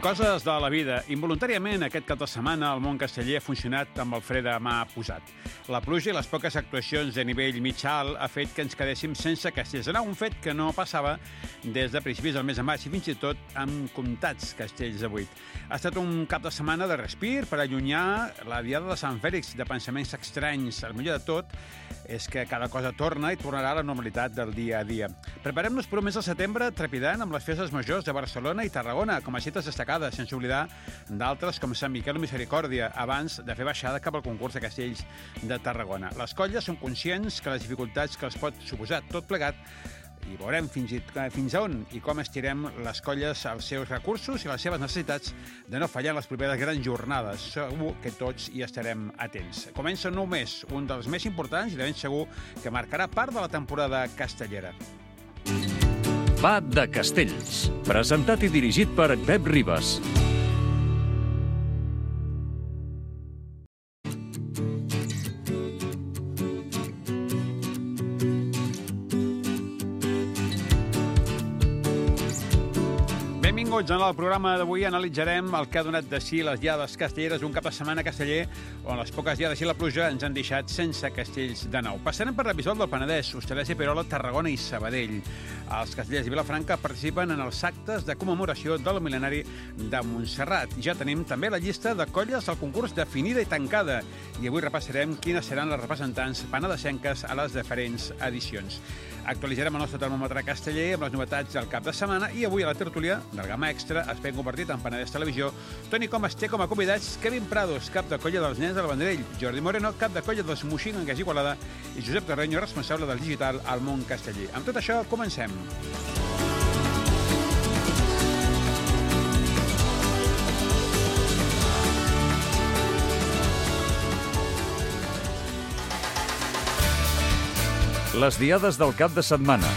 Coses de la vida. Involuntàriament, aquest cap de setmana, el món casteller ha funcionat amb el fre de mà posat. La pluja i les poques actuacions de nivell mitjà-alt ha fet que ens quedéssim sense castells. Era un fet que no passava des de principis del mes de maig i fins i tot amb comptats castells de 8. Ha estat un cap de setmana de respir per allunyar la diada de Sant Fèlix de pensaments estranys. El millor de tot és que cada cosa torna i tornarà a la normalitat del dia a dia. Preparem-nos per un mes de setembre trepidant amb les festes majors de Barcelona i Tarragona com a cites destacades, sense oblidar d'altres com Sant Miquel o Misericòrdia, abans de fer baixada cap al concurs de castells de Tarragona. Les colles són conscients que les dificultats que els pot suposar tot plegat i veurem fins a on i com estirem les colles els seus recursos i les seves necessitats de no fallar en les properes grans jornades. Segur que tots hi estarem atents. Comença un nou mes, un dels més importants i de ben segur que marcarà part de la temporada castellera. Va de Castells, presentat i dirigit per Pep Ribas. Benvinguts. En el programa d'avui analitzarem el que ha donat de si les diades castelleres d'un cap de setmana casteller on les poques diades i la pluja ens han deixat sense castells de nou. Passarem per la Bisbal del Penedès, Hostalets i Perola, Tarragona i Sabadell. Els castellers i Vilafranca participen en els actes de commemoració del mil·lenari de Montserrat. Ja tenim també la llista de colles al concurs definida i tancada i avui repassarem quines seran les representants penedesenques a les diferents edicions. Actualitzarem el nostre termòmetre casteller amb les novetats del cap de setmana i avui a la tertúlia del Gamma Extra, espai compartit amb Penedès Televisió, Toni Comas té com a convidats Kevin Prados, cap de colla dels Nens del Vendrell, Jordi Moreno, cap de colla dels Moixingues i Igualada, i Josep Carreño, responsable del digital al món casteller. Amb tot això, comencem. Les diades del cap de setmana.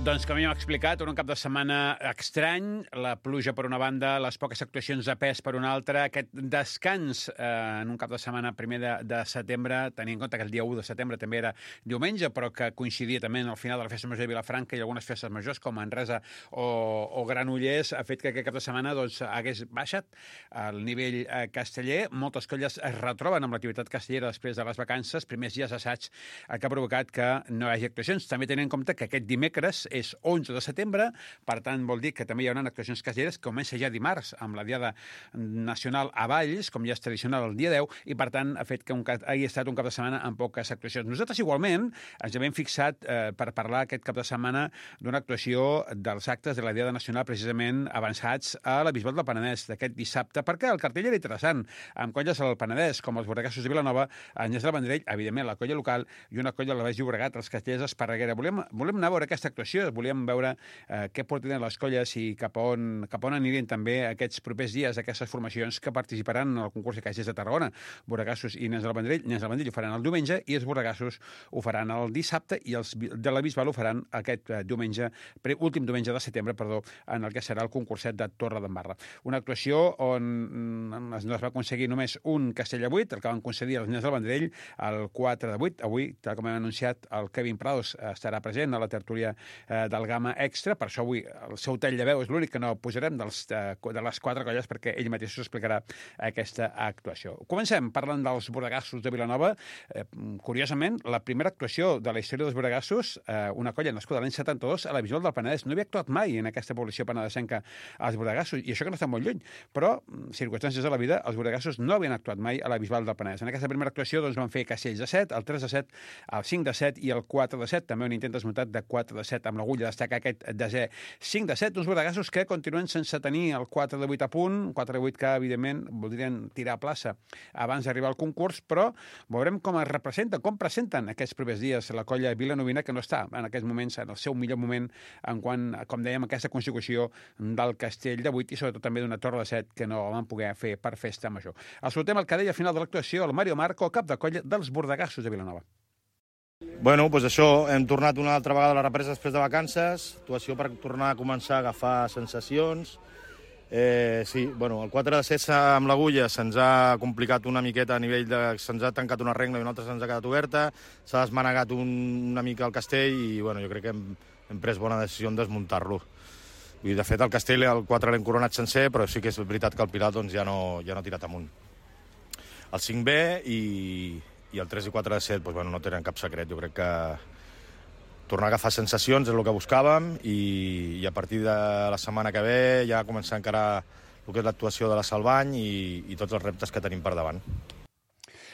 Doncs, com ja hem explicat, un cap de setmana estrany, la pluja per una banda, les poques actuacions de pes per una altra, aquest descans en un cap de setmana primer de setembre, tenint en compte que el dia 1 de setembre també era diumenge, però que coincidia també en el final de la festa major de Vilafranca i algunes festes majors com Manresa o Granollers, ha fet que aquest cap de setmana hagués baixat el nivell casteller. Moltes colles es retroben amb l'activitat castellera després de les vacances, primers dies d'assaig, el que ha provocat que no hi hagi actuacions. També tenint en compte que aquest dimecres és 11 de setembre, per tant vol dir que també hi haurà actuacions castelleres que comença ja dimarts amb la Diada Nacional a Valls, com ja és tradicional el dia 10, i per tant ha fet que hagi estat un cap de setmana amb poques actuacions. Nosaltres igualment ens hem fixat per parlar aquest cap de setmana d'una actuació dels actes de la Diada Nacional precisament avançats a la Bisbal del Penedès d'aquest dissabte, perquè el cartell era interessant, amb colles al Penedès, com els Borregassos de Vilanova, el Nens del Vendrell, evidentment la colla local i una colla del Baix Llobregat, els castellers d'Esparreguera. Volem anar a veure aquesta actuació, volíem veure què porten les colles i cap a on anirien també aquests propers dies aquestes formacions que participaran en el concurs de castellers de Tarragona. Borregassos i Nens del Vendrell. Nens del Vendrell ho faran el diumenge i els Borregassos ho faran el dissabte i els de la Bisbal ho faran aquest últim diumenge de setembre, en el que serà el concurset de Torredembarra. Una actuació on es va aconseguir només un castell de 8, el que van concedir els Nens del Vendrell, el 4 de 8. Avui, tal com hem anunciat, el Kevin Prados estarà present a la tertúlia del Gamma Extra, per això avui el seu tall de veu és l'únic que no posarem de les 4 colles perquè ell mateix us explicarà aquesta actuació. Comencem parlant dels Borregassos de Vilanova. Curiosament, la primera actuació de la història dels Borregassos, una colla nascuda l'any 72 a la Bisbal del Penedès. No havia actuat mai en aquesta població penedesenca als Borregassos, i això que no està molt lluny, però circumstàncies de la vida, els Borregassos no havien actuat mai a la Bisbal del Penedès. En aquesta primera actuació van fer castells de 7, el 3 de 7, el 5 de 7 i el 4 de 7, també un intent desmuntat de 4 de 7 amb l'agulla, destaca aquest desè 5 de 7, uns Borregassos que continuen sense tenir el 4 de 8 a punt, 4 de 8 que, evidentment, voldrien tirar a plaça abans d'arribar al concurs, però veurem com es representa, com presenten aquests propers dies la colla vilanovina, que no està en aquests moments en el seu millor moment en quant, com dèiem, aquesta consecució del castell de 8 i sobretot també d'una torre de 7 que no van poder fer per festa major. Escoltem el que deia al final de l'actuació el Mario Marco, cap de colla dels Borregassos de Vilanova. Bueno, doncs això, hem tornat una altra vegada a la represa després de vacances, actuació per tornar a començar a agafar sensacions. Sí, bueno, el 4 de 7 amb l'agulla se'ns ha complicat una miqueta a nivell de... Se'ns ha tancat una regla i una altra se'ns ha quedat oberta, s'ha desmanegat una mica el castell i bueno, jo crec que hem pres bona decisió en desmuntar-lo. De fet, el Castell, el 4 l'hem coronat sencer, però sí que és veritat que el Pilar doncs, ja no ha tirat amunt. El 5B i el 3 i 4 de 7 doncs, bueno, no tenen cap secret. Jo crec que tornar a agafar sensacions és el que buscàvem i a partir de la setmana que ve ja començar a encarar el que és l'actuació de la Salvany i tots els reptes que tenim per davant.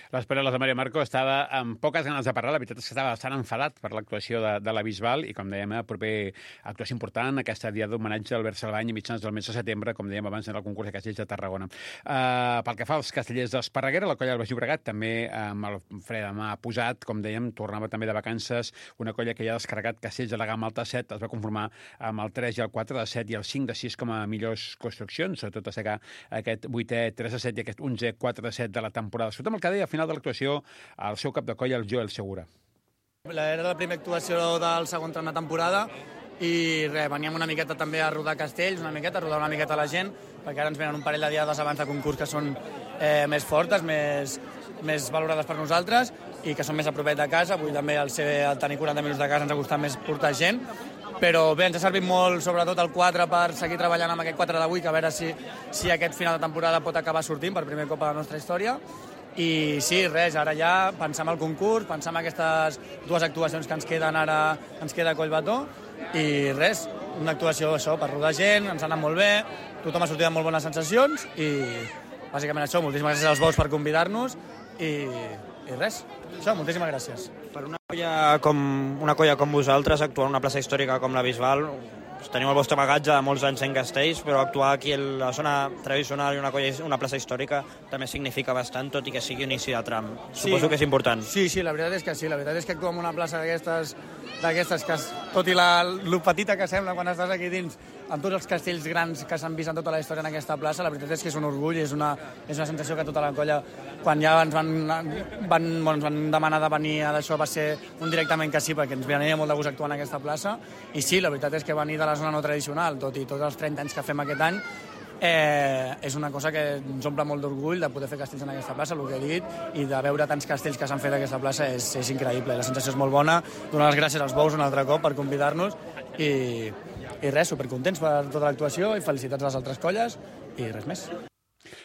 Les paraules de Mario Marco estava amb poques ganes de parlar. La veritat és que estava bastant enfadat per l'actuació de la Bisbal i, com dèiem, proper actuació important, aquesta dia d'homenatge a Albert Salvany a mitjans del mes de setembre, com dèiem abans, en el concurs de castells de Tarragona. Pel que fa als castellers d'Esparreguera, la colla del Baix Llobregat també amb el fre de mà posat, com dèiem, tornava també de vacances, una colla que ja ha descarregat castells de la gamma alta 7, es va conformar amb el 3 i el 4 de 7 i el 5 de 6 com a millors construccions, sobretot destacar aquest 8è 3 de 7 i aquest 11è 4 de 7 de la temporada. Sobretot amb el que deia, de l'actuació, el seu cap de colla, el Joel Segura. Era la primera actuació del segon tram de temporada i veníem una miqueta també a rodar castells, a rodar una miqueta la gent, perquè ara ens venen un parell de diades abans de concurs que són més fortes, més valorades per nosaltres i que són més a propet de casa. Avui també al tenir 40 minuts de casa ens ha costat més portar gent, però bé, ens ha servit molt, sobretot el 4, per seguir treballant amb aquest 4 d'avui, que a veure si aquest final de temporada pot acabar sortint per primer cop a la nostra història. I sí, res, ara ja pensar en el concurs, pensar en aquestes dues actuacions que ens queden ara, ens queda Collbató, i res, una actuació això, per rodar gent, ens ha anat molt bé, tothom ha sortit amb molt bones sensacions i bàsicament això, moltíssimes gràcies als Bous per convidar-nos i res, això, moltíssimes gràcies. Per una colla com vosaltres, actuar en una plaça històrica com la Bisbal, teniu el vostre bagatge de molts anys en castells, però actuar aquí a la zona tradicional i una plaça històrica també significa bastant, tot i que sigui inici de tram. Suposo que és important. Sí, la veritat és que sí. La veritat és que actuar en una plaça d'aquestes que, tot i lo petita que sembla quan estàs aquí dins, amb tots els castells grans que s'han vist en tota la història en aquesta plaça, la veritat és que és un orgull, és una sensació que tota la colla, quan ja ens van demanar de venir a d'això, va ser un directament que sí, perquè ens venia molt de gust actuar en aquesta plaça, i sí, la veritat és que venir de la zona no tradicional, tot i tots els 30 anys que fem aquest any, és una cosa que ens omple molt d'orgull de poder fer castells en aquesta plaça, el que he dit, i de veure tants castells que s'han fet a aquesta plaça és increïble, la sensació és molt bona. Donar les gràcies als Bous un altre cop per convidar-nos i res, supercontents per tota l'actuació i felicitats a les altres colles i res més.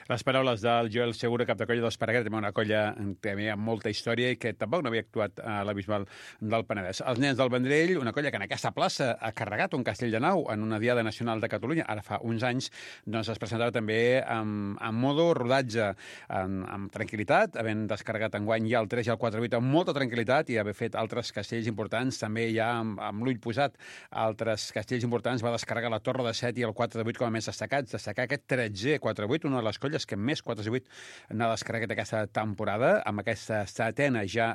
Les paraules del Joel Segura, cap de colla d'Esparreguera, també una colla també amb molta història i que tampoc no havia actuat a la Bisbal del Penedès. Els nens del Vendrell, una colla que en aquesta plaça ha carregat un castell de nau en una diada nacional de Catalunya, ara fa uns anys, doncs es presentava també amb modo rodatge, amb tranquil·litat, havent descarregat enguany ja el 3 i el 4-8 amb molta tranquil·litat i haver fet altres castells importants, també ja amb l'ull posat altres castells importants, va descarregar la Torre de 7 i el 4-8 com a més destacats, destacar aquest 13è 4-8, una de les colles que més 4-8 n'ha descarregat aquesta temporada, amb aquesta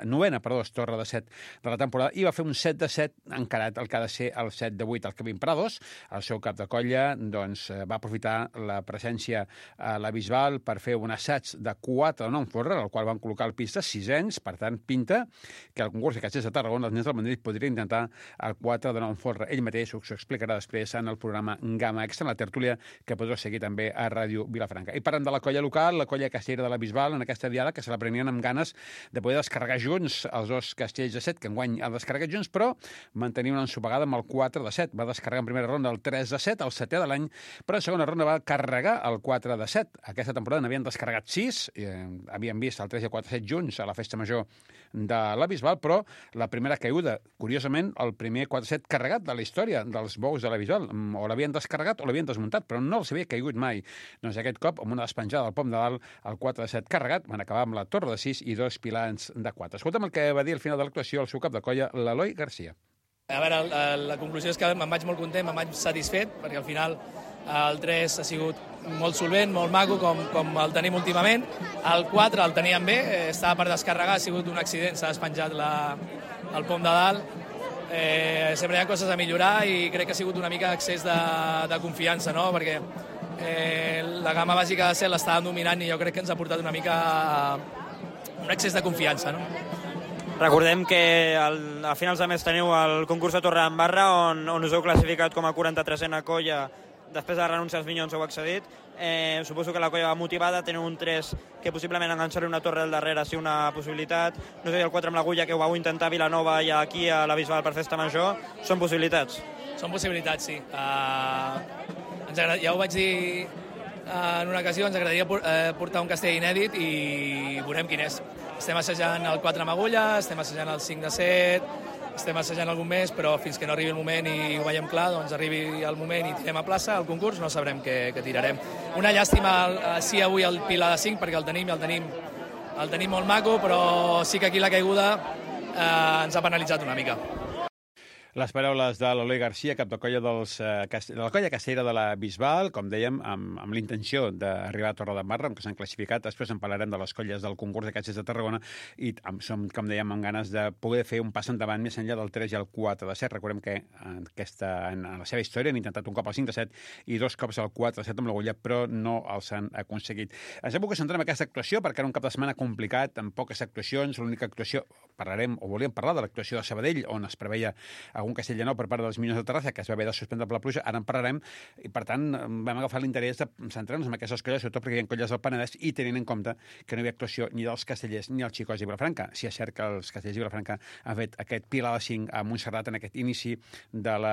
novena Torre de 7 de la temporada, i va fer un 7-7 encarat el que ha de ser el 7-8. El Kevin Prados, el seu cap de colla, doncs, va aprofitar la presència a la Bisbal per fer un assaig de 4 de Nonforra, al qual van col·locar el pista 600, per tant, pinta que el concurs de castells de Tarragona, els nens del Vendrell, podria intentar el 4 de Nonforra. Ell mateix s'ho explicarà després en el programa Gamma Extra, en la tertúlia, que podreu seguir també a Ràdio Vilafranca. I parlant de la colla local, la colla castellera de la Bisbal, en aquesta diada, que se la prenien amb ganes de poder descarregar junts els dos castells de 7, que enguany ha descarregat junts, però mantenir una ensopegada amb el 4 de 7. Va descarregar en primera ronda el 3 de 7, el 7è de l'any, però en segona ronda va carregar el 4 de 7. Aquesta temporada n'havien descarregat 6, havien vist el 3 i el 4 de 7 junts a la festa major de la Bisbal, però la primera caiguda, curiosament, el primer 4-7 carregat de la història dels Bous de la Bisbal. O l'havien descarregat o l'havien desmuntat, però no els havia caigut mai. Doncs aquest cop, amb una despenjada al pom de dalt, el 4 de 7 carregat, van acabar amb la Torre de 6 i 2 pilars de 4. Escolta'm el que va dir al final de l'actuació el seu cap de colla, l'Eloi Garcia. A veure, la conclusió és que me'n vaig molt content, me'n vaig satisfet, perquè al final el 3 ha sigut molt solvent, molt maco, com el tenim últimament. El 4 el teníem bé, estava per descarregar, ha sigut un accident, s'ha despenjat el pom de dalt. Sempre hi ha coses a millorar i crec que ha sigut una mica excés de confiança, no? Perquè la gamma bàsica de 7 l'estàvem dominant i jo crec que ens ha portat una mica un excés de confiança, no? Recordem que a finals de mes teniu el concurs de Torredembarra on us heu classificat com a 43a colla. Després de renunciar als Minyons heu accedit. Suposo que la colla va motivada, teniu un 3 que possiblement enganxar-li una torre al darrere sigui una possibilitat. No sé, el 4 amb l'Agulla que ho vau intentar a Vilanova i aquí a la Bisbal per festa major. Són possibilitats? Són possibilitats, sí. Ja ho vaig dir en una ocasió, ens agradaria portar un castell inèdit i veurem quin és. Estem assajant el 4 amb agulla, estem assajant el 5 de 7, estem assajant algun més, però fins que no arribi el moment i ho veiem clar, doncs arribi el moment i tirem a plaça, al concurs, no sabrem què tirarem. Una llàstima, sí, avui el pilar de 5, perquè el tenim molt maco, però sí que aquí la caiguda ens ha penalitzat una mica. Les paraules de l'Eloi Garcia, cap de colla de la colla castellera de la Bisbal, com dèiem, amb l'intenció d'arribar a Torredembarra, que s'han classificat. Després en parlarem de les colles del concurs de castellers de Tarragona i som, com dèiem, amb ganes de poder fer un pas endavant més enllà del 3 i el 4 de 7. Recordem que en la seva història han intentat un cop el 5 de 7 i 2 cops el 4 de 7 amb l'agulla, però no els han aconseguit. Ens hem volgut centrar en aquesta actuació perquè era un cap de setmana complicat, amb poques actuacions. L'única actuació, volíem parlar de l'actuació de Sabadell, on es preveia algun castell de nou per part dels Minyons de Terrassa, que es va haver de suspendre per la pluja. Ara en parlarem, i per tant vam agafar l'interès de centrar-nos en aquestes colles, sobretot perquè hi ha colles del Penedès, i tenint en compte que no hi havia actuació ni dels castellers ni dels xicos de Vilafranca. Si és cert que els castellers de Vilafranca han fet aquest pilar de 5 a Montserrat en aquest inici del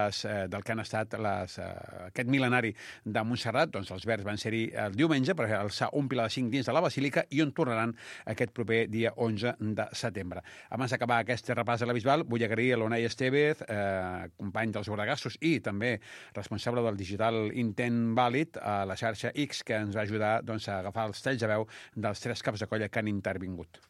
que han estat aquest mil·lenari de Montserrat, doncs els verds van ser-hi el diumenge per alçar un pilar de 5 dins de la Basílica i on tornaran aquest proper dia 11 de setembre. Abans d'acabar aquest repàs de la Bisbal, vull agrair a l'Unai Estevez, company dels Bordegassos i també responsable del digital Intent Vàlid a la xarxa X, que ens va ajudar doncs, a agafar els talls de veu dels 3 caps de colla que han intervingut.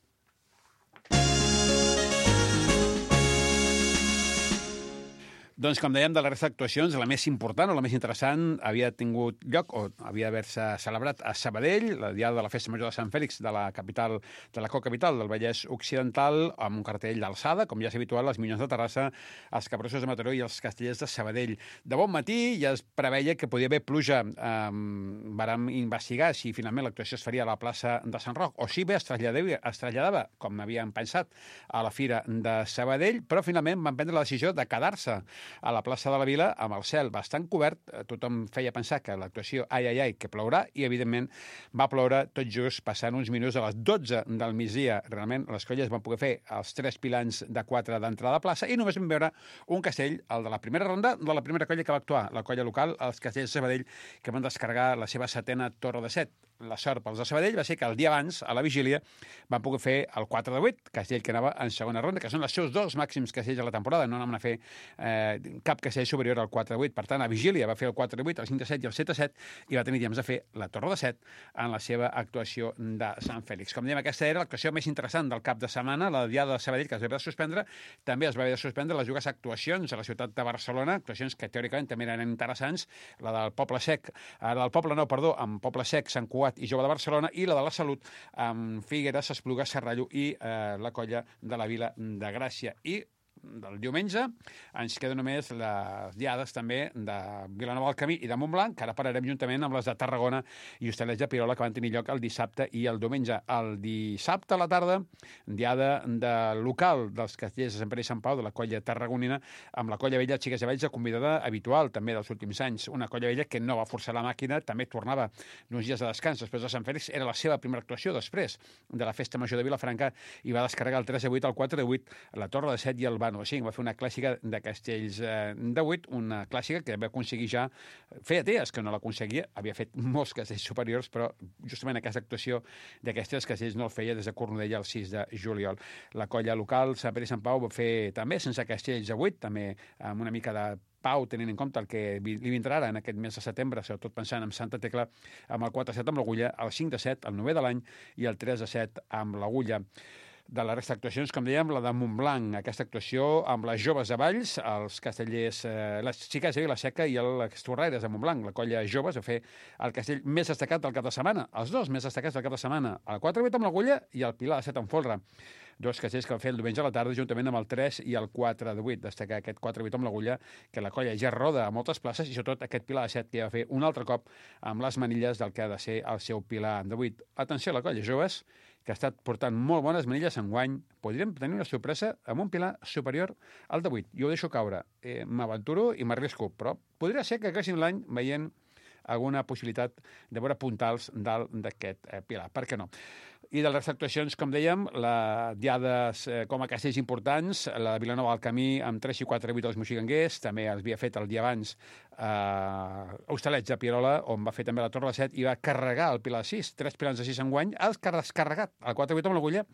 Doncs, com dèiem, de la resta d'actuacions, la més important o la més interessant havia tingut lloc o havia d'haver-se celebrat a Sabadell, la diada de la Festa Major de Sant Fèlix de la capital, de la cocapital del Vallès Occidental, amb un cartell d'alçada, com ja és habitual, els Minyons de Terrassa, els Capgrossos de Mataró i els Castellers de Sabadell. De bon matí ja es preveia que podia haver pluja. Vàrem investigar si finalment l'actuació es faria a la plaça de Sant Roc o si bé es traslladava, com havíem pensat, a la Fira de Sabadell, però finalment van prendre la decisió de quedar-se a la plaça de la Vila amb el cel bastant cobert. Tothom feia pensar que l'actuació que plourà, i evidentment va ploure tot just passant uns minuts a les 12 del migdia. Realment les colles van poder fer els 3 pilans de 4 d'entrada a plaça i només vam veure un castell, el de la primera ronda de la primera colla que va actuar, la colla local, els Castellers de Sabadell, que van descarregar la seva 7a torre de 7. La sort pels de Sabadell va ser que el dia abans, a la vigília, van poder fer el 4 de 8, castell que anava en segona ronda, que són els seus 2 màxims castells de la temporada. No anaven a fer cap castell superior al 4 de 8. Per tant, a vigília va fer el 4 de 8, el 5 de 7 i el 7 de 7, i va tenir temps de fer la torre de 7 en la seva actuació de Sant Fèlix. Com dèiem, aquesta era l'actuació més interessant del cap de setmana, la diada de Sabadell, que es va haver de suspendre. També es va haver de suspendre les dues actuacions a la ciutat de Barcelona, actuacions que teòricament també eren interessants, la del Poble Sec, amb Poble Sec, Sant Cugat i Jove de Barcelona, i la de la Salut amb Figueres, Espluga, Serrallo i la colla de la Vila de Gràcia. I del diumenge ens queden només les diades també de Vilanova del Camí i de Montblanc, que ara parlarem juntament amb les de Tarragona i Hostalets de Pirola, que van tenir lloc el dissabte i el diumenge. El dissabte a la tarda, diada de local dels castellers de Sant Pere i Sant Pau, de la colla tarragonina, amb la colla vella Xiques de Valls, convidada habitual també dels últims anys. Una colla vella que no va forçar la màquina, també tornava d'uns dies de descans després de Sant Fèlix. Era la seva primera actuació després de la Festa Major de Vilafranca i va descarregar el 3 de 8, el 4 de 8, la torre de 7 i el Bano de 5. Va fer una clàssica de castells de 8, una clàssica que va aconseguir ja, feia dies que no l'aconseguia, havia fet molts castells superiors, però justament aquesta actuació d'aquests 3 castells no el feia des de Cornudella el 6 de juliol. La colla local, Sant Pere i Sant Pau, va fer també sense castells de 8, també amb una mica de pau, tenint en compte el que li vindrà ara en aquest mes de setembre, sobretot pensant en Santa Tecla, amb el 4 de 7 amb l'agulla, el 5 de 7, el 9 de l'any, i el 3 de 7 amb l'agulla. De la resta d'actuacions, com dèiem, la de Montblanc, aquesta actuació amb les joves de Valls, els castellers, les xiques de Vila-seca i les torraires de Montblanc. La colla joves va fer el castell més destacat del cap de setmana, els 2 més destacats del cap de setmana, el 4 de 8 amb l'agulla i el pilar de 7 amb folre. 2 castells que van fer el diumenge a la tarda, juntament amb el 3 i el 4 de 8. Destacar aquest 4 de 8 amb l'agulla, que la colla ja roda a moltes places, i sobretot aquest pilar de 7 que ja va fer un altre cop amb les manilles del que ha de ser el seu pilar de 8. Atenció a la colla joves, que ha estat portant molt bones manilles enguany. Podríem tenir una sorpresa amb un pilar superior al de 8. Jo ho deixo caure. M'aventuro i m'arrisco, però podria ser que acabéssim l'any veient alguna possibilitat de veure puntals dalt d'aquest pilar. Per què no? I de les actuacions, com dèiem, la diades com a castells importants, la de Vilanova del Camí amb 3 i 4 8 als moxiganguers, també es havia fet el dia abans Hostalets de Pierola, on va fer també la Torre de 7 i va carregar el Pilar 6, 3 pilars de 6 enguany, ha descarregat el 4-8 amb l'agulla,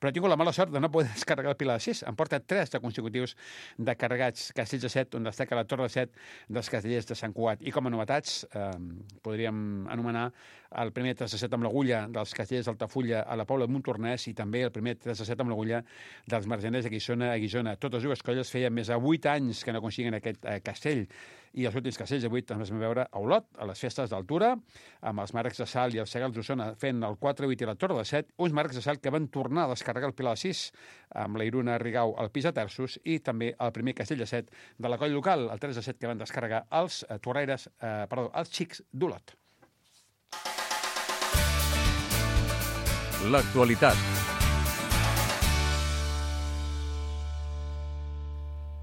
però ha tingut la mala sort de no poder descarregar el Pilar 6. En porta 3 de consecutius de carregats castells de 7, on destaca la Torre de 7 dels castellers de Sant Cugat. I com a novetats, podríem anomenar el primer 3 de 7 amb l'agulla dels castellers d'Altafulla a la Pobla de Montornès i també el primer 3 de 7 amb l'agulla dels margeners de Guissona a Guissona. Totes dues colles feien més de 8 anys que no aconseguien aquest castell. I els últims castells d'avui també es vam veure a Olot, a les festes d'altura, amb els marcs de Sal i els segals d'Osona fent el 4-8 i la Torre de 7, uns marcs de Sal que van tornar a descarregar el Pilar 6 amb la Iruna Rigau al pis de terços i també el primer castell de 7 de la colla local, el 3 de 7 que van descarregar els els xics d'Olot. L'actualitat.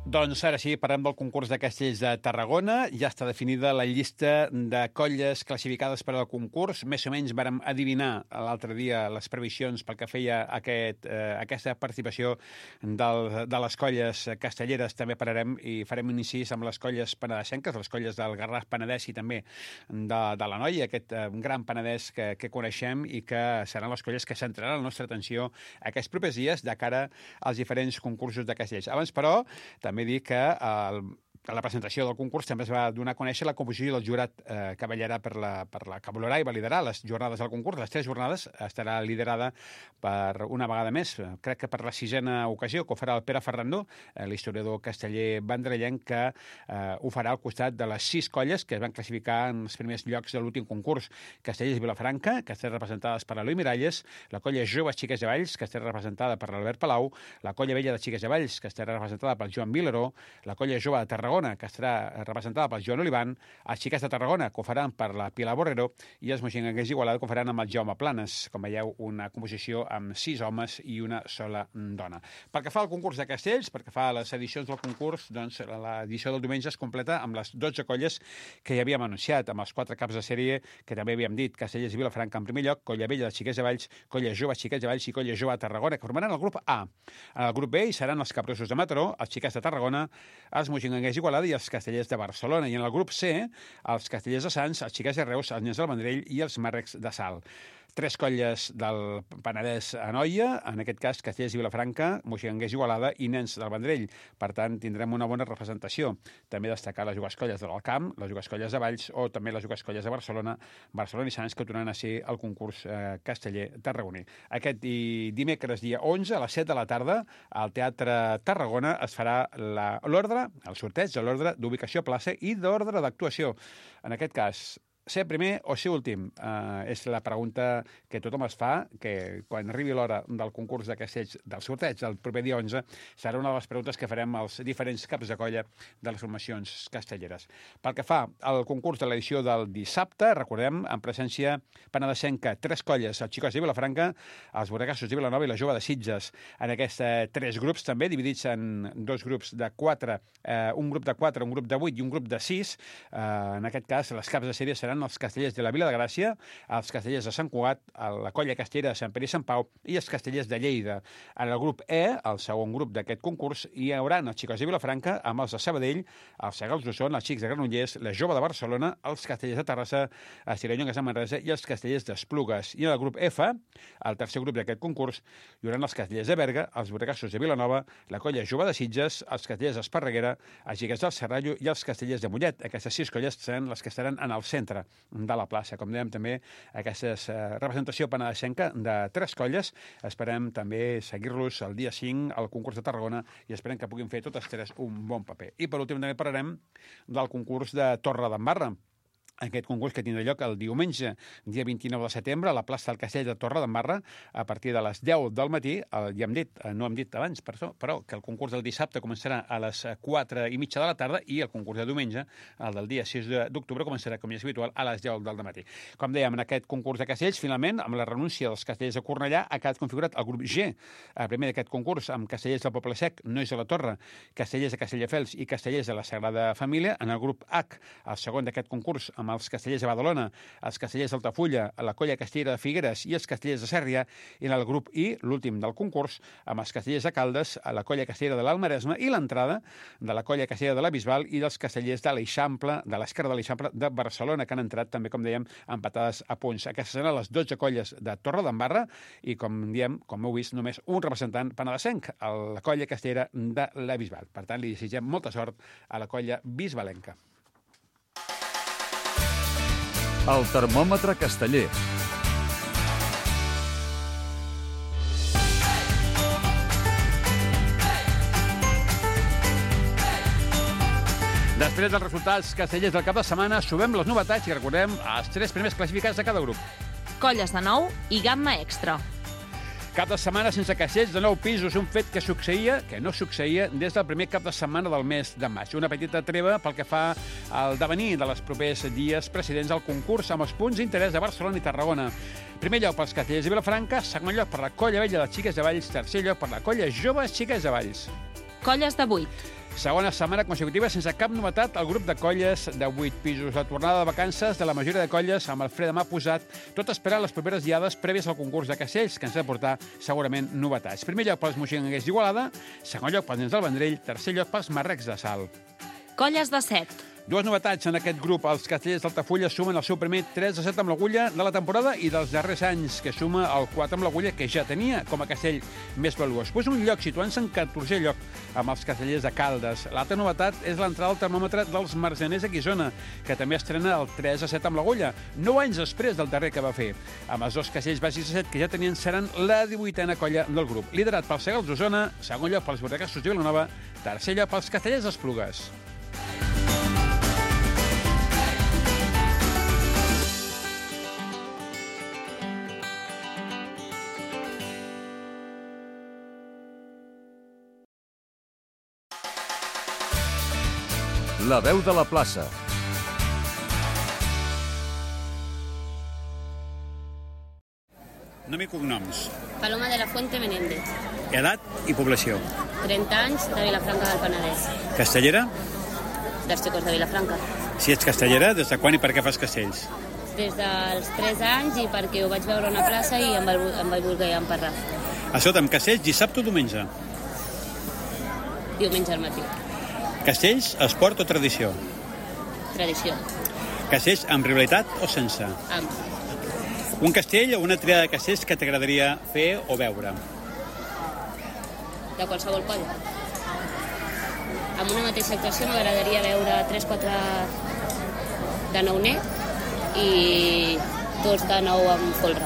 Doncs ara sí, parlem del concurs de castells de Tarragona. Ja està definida la llista de colles classificades per al concurs. Més o menys vàrem adivinar l'altre dia les previsions pel que feia aquesta participació de les colles castelleres. També pararem i farem un incís amb les colles penedesenques, les colles del Garraf Penedès i també de la Noia, aquest gran Penedès que coneixem i que seran les colles que centraran la nostra atenció aquests propers dies de cara als diferents concursos de castells. Abans, però, també dir que a la presentació del concurs també es va donar a conèixer la composició del jurat que vetllarà que valorarà i validarà les jornades del concurs. Les 3 jornades estarà liderada per una vegada més, crec que per la 6a ocasió, que ho farà el Pere Ferrandó, l'historiador casteller vendrellenc, que ho farà al costat de les 6 colles que es van classificar en els primers llocs de l'últim concurs. Castellers Vilafranca, que estan representades per Eloi Miralles, la colla Joves Xiques de Valls, que estarà representada per l'Albert Palau, la colla Vella de Xiques de Valls, que estarà representada per Joan Vilaró, la colla Jove de Tarragona, que estarà representada per Joan Olivan, els Xiques de Tarragona, que ho faran per la Pilar Borrero, i els moixinganguers d'Igualada, que ho faran amb el Jaume Planes. Com veieu, una composició amb 6 homes i una sola dona. Pel que fa al concurs de castells, pel que fa a les edicions del concurs, doncs l'edició del diumenge es completa amb les 12 colles que ja havíem anunciat, amb els 4 caps de sèrie que també havíem dit, Castellers i Vilafranca en primer lloc, colla Vella de Xiquets de Valls, colla Jove Xiquets de Valls i colla Jove de Tarragona, que formaran el grup A. En el grup B hi seran els Capgrossos de Mataró, els Xiquets de Tarragona, els moixinganguers d'Igualada i els Castellers de Barcelona. I en el grup C, els Castellers de Sants, els Xiquets de Reus, els Nens del Vendrell i els Màrrecs de Salt. 3 colles del Penedès a Noia, en aquest cas Castellers i Vilafranca, moixinganguers d'Igualada i Nens del Vendrell. Per tant, tindrem una bona representació. També destacar les jugascolles de l'Alcamp, les jugascolles de Valls o també les jugascolles de Barcelona, Barcelona i Sants, que tornaran a ser el concurs casteller tarragoní. Aquest dimecres, dia 11, a les 7 de la tarda, al Teatre Tarragona es farà l'ordre, el sorteig de l'ordre d'ubicació a plaça i d'ordre d'actuació. En aquest cas, ser primer o ser últim? És la pregunta que tothom es fa, que quan arribi l'hora del concurs de castells, del sorteig del proper dia 11, serà una de les preguntes que farem als diferents caps de colla de les formacions castelleres. Pel que fa al concurs de l'edició del dissabte, recordem, en presència penedesenca, 3 colles, els Xicots de Vilafranca, els Borregassos de Vilanova i la Jove de Sitges. En aquests 3 grups també, dividits en 2 grups de 4, un grup de 4, un grup de 8 i un grup de 6. En aquest cas, les caps de sèrie seran els castellers de la Vila de Gràcia, els castellers de Sant Cugat, la colla castellera de Sant Pere i Sant Pau i els castellers de Lleida. En el grup E, el segon grup d'aquest concurs, hi haurà els Xicots de Vilafranca amb els de Sabadell, els Segals d'Osona, els Xics de Granollers, la Jove de Barcelona, els castellers de Terrassa, els Tirallongues de Manresa i els castellers d'Esplugues. I en el grup F, el tercer grup d'aquest concurs, hi haurà els castellers de Berga, els Borregassos de Vilanova, la colla Jove de Sitges, els castellers d'Esparreguera, els Xiquets del Serrallo i els castellers de Mollet. Aquestes 6 colles seran les que estaran en el centre de la plaça. Com dèiem també, aquesta representació penedesenca de 3 colles. Esperem també seguir-los el dia 5 al concurs de Tarragona i esperem que puguin fer totes 3 un bon paper. I per últim també parlarem del concurs de Torredembarra. Aquest concurs que tindrà lloc el diumenge, dia 29 de setembre, a la plaça del Castell de Torredembarra, a partir de les 10 del matí. Ja hem dit, no hem dit abans, però que el concurs del dissabte començarà a les 4:30 de la tarda i el concurs de diumenge, el del dia 6 d'octubre, començarà, com ja és habitual, a les 10 del matí. Com dèiem, en aquest concurs de castells, finalment, amb la renúncia dels castellers de Cornellà, ha quedat configurat el grup G. El primer d'aquest concurs, amb castellers del Poble Sec, Nois de la Torre, castellers de Castelldefels i castellers de la Sagrada Família. En el grup H, el segon d'aquest concurs, amb amb els Castellers de Badalona, els Castellers d'Altafulla, la Colla Castellera de Figueres i els Castellers de Sèrria, i en el grup I, l'últim del concurs, amb els Castellers de Caldes, la Colla Castellera de l'Alt Maresme i l'entrada de la Colla Castellera de la Bisbal i dels Castellers de l'Eixample, de l'Esquerra de l'Eixample de Barcelona, que han entrat també, com dèiem, empatades a punts. Aquestes seran les 12 colles de Torredembarra i, com diem, com heu vist, només un representant penedesenc, la Colla Castellera de la Bisbal. Per tant, li desitgem molta sort a la colla bisbalenca. El termòmetre casteller. Després dels resultats castellers del cap de setmana, subem les novetats i recordem els 3 primers classificats de cada grup. Colles de 9 i gamma extra. Cap de setmana sense castells de 9 pisos, un fet que no succeïa des del primer cap de setmana del mes de maig. Una petita treva pel que fa al devenir de les propers dies precedents al concurs amb els punts d'interès de Barcelona i Tarragona. Primer lloc pels castellers de Vilafranca, segon lloc per la Colla Vella de Xiques de Valls, tercer lloc per la Colla Joves Xiques de Valls. Colles de 8. Segona setmana consecutiva sense cap novetat al grup de colles de 8 pisos. La tornada de vacances de la majoria de colles amb el fre de mà posat, tot esperant les properes diades prèvies al concurs de castells, que ens ha de portar segurament novetats. Primer lloc pels moixinguers d'Igualada, segon lloc pels nens del Vendrell, tercer lloc pels marrecs de Salt. Colles de 7. Dues novetats en aquest grup. Els castellers d'Altafulla sumen el seu primer 3-7 amb l'agulla de la temporada i dels darrers anys, que suma el 4 amb l'agulla que ja tenia com a castell més valuós. Pues un lloc situant-se en 14è lloc amb els castellers de Caldes. L'altra novetat és l'entrada al termòmetre dels marjaners de Guissona, que també estrena el 3-7 amb l'agulla, 9 anys després del darrer que va fer. Amb els dos castells bàsics de 7 que ja tenien, seran la 18a colla del grup. Liderat pels Segals d'Osona, segon lloc pels Bordegassos de Vilanova, tercer lloc pels castellers d'Esplugues. La veu de la plaça. Nom i cognoms. Paloma de la Fuente Menéndez. Edat i població. 30 anys, de Vilafranca del Penedès. Castellera? Dels Xicos de Vilafranca. Si ets castellera, des de quan i per què fas castells? Des dels 3 anys i perquè ho vaig veure a una plaça i em vaig voler emparrar. Escolta'm, castells dissabte o diumenge? Diumenge al matí. Castells, esport o tradició? Tradició. Castells amb rivalitat o sense? Amb. Un castell o una triada de castells que t'agradaria fer o veure? De qualsevol colla. Amb una mateixa actuació m'agradaria veure 3-4 de nouner i 2 de nou amb folre.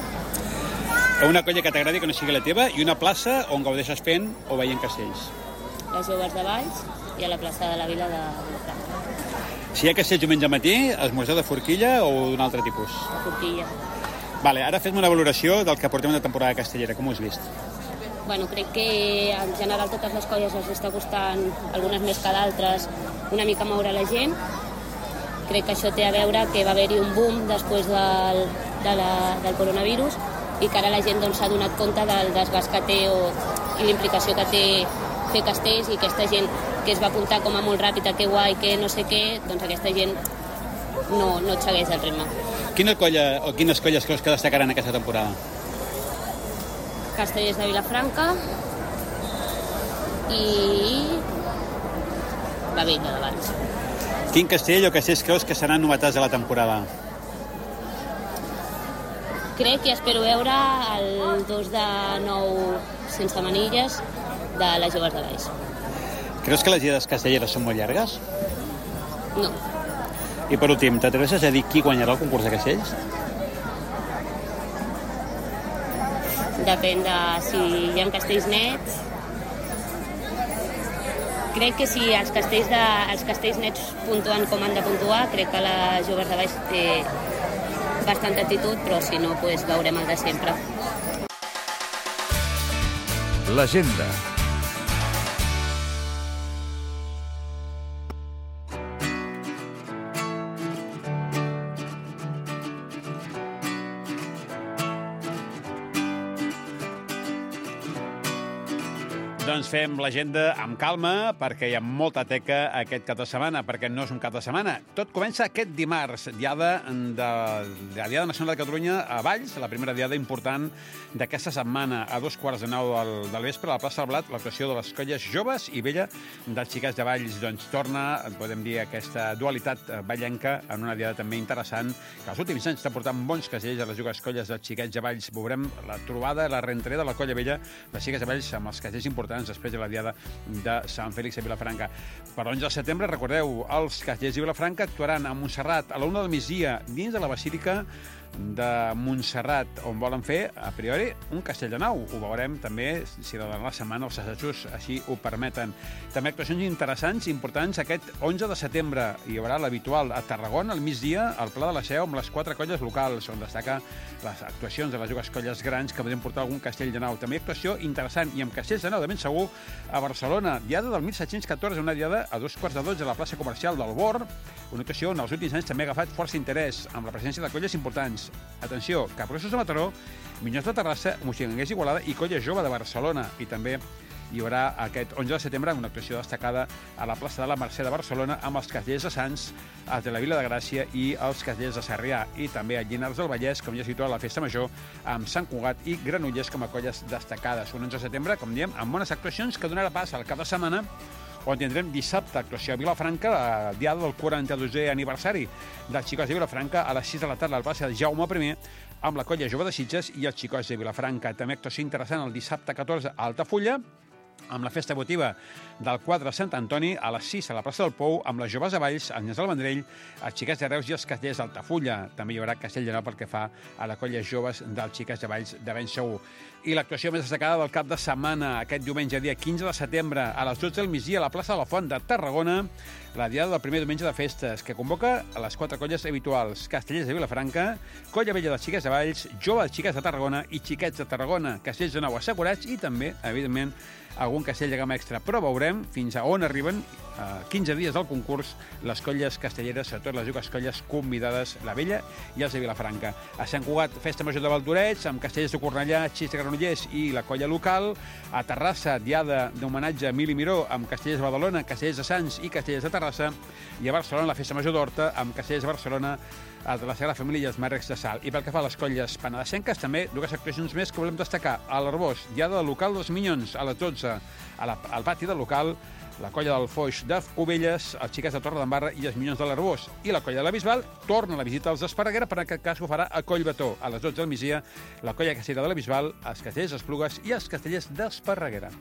O una colla que t'agradi que no sigui la teva i una plaça on gaudeixes fent o veient castells? Les Joves de Valls i a la plaça de la Vila de Vilafranca. Si hi ha castells diumenge al matí, esmorzar de forquilla o d'un altre tipus? La forquilla. Vale, ara fem una valoració del que portem de temporada castellera. Com ho has vist? Bueno, crec que en general totes les colles els està costant, algunes més que d'altres, una mica moure la gent. Crec que això té a veure que va haver-hi un boom després del coronavirus i que ara la gent s'ha donat compte del desgast que té i l'implicació que té fer castells, i aquesta gent que es va apuntar com a molt ràpid, que guai, que no sé què, doncs aquesta gent no et segueix el ritme. Quina colla o quines colles creus que destacaran aquesta temporada? Castellers de Vilafranca i la Vella de Valls. Quin castell o castells creus que seran novetats de la temporada? Crec i espero veure el 2 de 9 sense manilles de les Joves de Valls. Creus que les diades castelleres són molt llargues? No. I per últim, t'atreveixes a dir qui guanyarà el concurs de castells? Depèn de si hi ha castells nets. Crec que si els castells nets puntuen com han de puntuar, crec que la Joves de Valls té bastanta actitud, però si no, doncs veurem el de sempre. L'agenda. Doncs fem l'agenda amb calma, perquè hi ha molta teca aquest cap de setmana, perquè no és un cap de setmana. Tot comença aquest dimarts, Diada Nacional de Catalunya a Valls, la primera diada important d'aquesta setmana. A 9:15 del vespre, a la plaça del Blat, l'actuació de les colles joves i vella dels xiquets de Valls. Doncs torna, podem dir, aquesta dualitat vallenca en una diada també interessant, que els últims anys està portant bons castells a les dues colles dels xiquets de Valls. Veurem la trobada, la reentrada de la colla vella de xiquets de Valls amb els castells importants després de la diada de Sant Fèlix a Vilafranca. Per l'11 de setembre, recordeu, els castellers de Vilafranca actuaran a Montserrat a la 1 del migdia dins de la Basílica de Montserrat, on volen fer, a priori, un castell de nau. Ho veurem també, si de la setmana els assajos així ho permeten. També actuacions interessants i importants aquest 11 de setembre. Hi haurà l'habitual a Tarragona, al migdia, al Pla de la Seu, amb les 4 colles locals, on destaca les actuacions de les dues colles grans que podem portar algun castell de nau. També actuació interessant, i amb castells de nau, de ben segur, a Barcelona. Diada del 1714, una diada a 2:15 a la plaça comercial del Bor, una actuació on els últims anys també ha agafat força interès, amb la presència de colles importants. Atenció, Capgrossos de Mataró, Minyons de Terrassa, Moixigranguers d'Igualada i Colla Jove de Barcelona. I també hi haurà aquest 11 de setembre una actuació destacada a la plaça de la Mercè de Barcelona amb els castellers de Sants, els de la Vila de Gràcia i els castellers de Sarrià. I també a Llinars del Vallès, com ja situa la Festa Major, amb Sant Cugat i Granollers com a colles destacades. Un 11 de setembre, com diem, amb bones actuacions que donarà pas al cap de setmana, on tindrem dissabte actuació a Vilafranca, la diada del 42è aniversari dels xicots de Vilafranca, a les 6 de la tarda al plaça de Jaume I, amb la colla jove de Sitges i els xicots de Vilafranca. També actuació interessant el dissabte 14 a Altafulla, amb la festa votiva del quadre de Sant Antoni, a les 6 a la plaça del Pou, amb les joves de Valls, el Nyes del Vendrell, els xiquets de Reus i els castellers d'Altafulla. També hi haurà castell de nou pel que fa a la colla joves dels xiquets de Valls de ben segur. I l'actuació més destacada del cap de setmana, aquest diumenge, dia 15 de setembre, a les 12 del migdia, a la plaça de la Font de Tarragona, la diada del primer diumenge de festes, que convoca a les 4 colles habituals: castellers de Vilafranca, colla vella dels xiquets de Valls, joves xiquets de Tarragona i xiquets de Tarragona, castells de nou assegurats i també, evidentment, algun castell de gamma extra. Però veurem fins a on arriben, a 15 dies del concurs, les colles castelleres, sobretot les dues colles convidades, la vella i els de Vilafranca. A Sant Cugat, festa major de Valldorets, amb castellers de Cornellà, Xis de Granollers i la colla local. A Terrassa, diada d'homenatge a Emili Miró, amb castellers de Badalona, castellers de Sants i castellers de Terrassa. I a Barcelona, la festa major d'Horta, amb castellers de Barcelona, els de la Sagrada Família i els Màrrecs de Sal. I pel que fa a les colles penedesenques, també dues actuacions més que volem destacar. A l'Arbós, diada del local dels Minyons, a les 12, al pati del local, la colla del Foix de Cubelles, els xiquets de Torredembarra i els Minyons de l'Arbós. I la colla de la Bisbal torna a la visita als d'Esparreguera, però en aquest cas ho farà a Collbató. A les 12 del migdia, la colla castellera de la Bisbal, els castellers d'Esplugues i els castellers d'Esparreguera.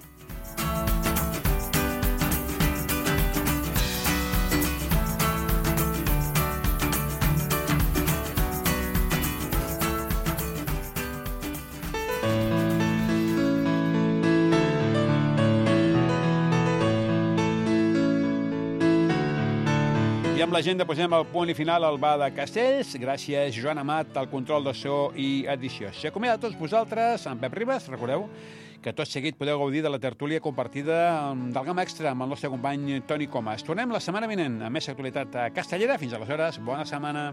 I amb l'agenda posem el punt i final al Bar de Castells. Gràcies, Joan Amat, al control de so i edició. S'acomiada a tots vosaltres, en Pep Ribas. Recordeu que tot seguit podeu gaudir de la tertúlia compartida del Gamma Extra amb el nostre company Toni Comas. Tornem la setmana vinent amb més actualitat castellera. Fins aleshores, bona setmana.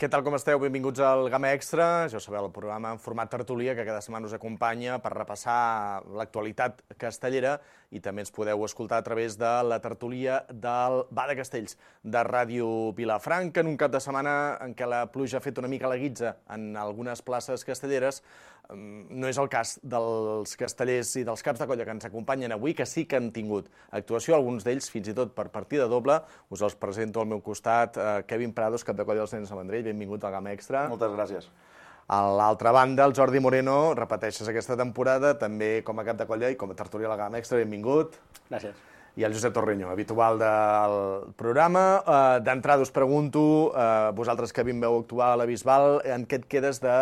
Què tal, com esteu? Benvinguts al Gamma Extra. Ja ho sabeu, el programa en format tertúlia que cada setmana us acompanya per repassar l'actualitat castellera i també ens podeu escoltar a través de la tertúlia del Bar de Castells de Ràdio Vilafranca en un cap de setmana en què la pluja ha fet una mica la guitza en algunes places castelleres, No és el cas dels castellers i dels caps de colla que ens acompanyen avui, que sí que han tingut actuació, alguns d'ells fins i tot per partida doble. Us els presento al meu costat. Kevin Prados, cap de colla dels nens de Vendrell, benvingut al Gamma Extra. Moltes gràcies. A l'altra banda, el Jordi Moreno, repeteixes aquesta temporada, també com a cap de colla i com a tertulià al Gamma Extra, benvingut. Gràcies. I el Josep Torreño, habitual del programa. D'entrada us pregunto, vosaltres que vau actuar a la Bisbal, en què et quedes de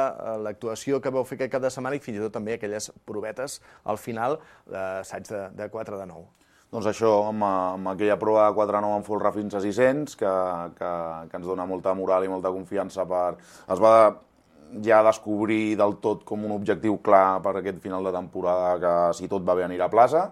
l'actuació que vau fer aquest cap de setmana i fins i tot també aquelles provetes al final d'assaig de 4 de 9? Doncs això, amb aquella prova de 4-9 en folre fins a 600, que ens dona molta moral i molta confiança es va ja descobrir del tot com un objectiu clar per aquest final de temporada, que si tot va bé anirà a plaça,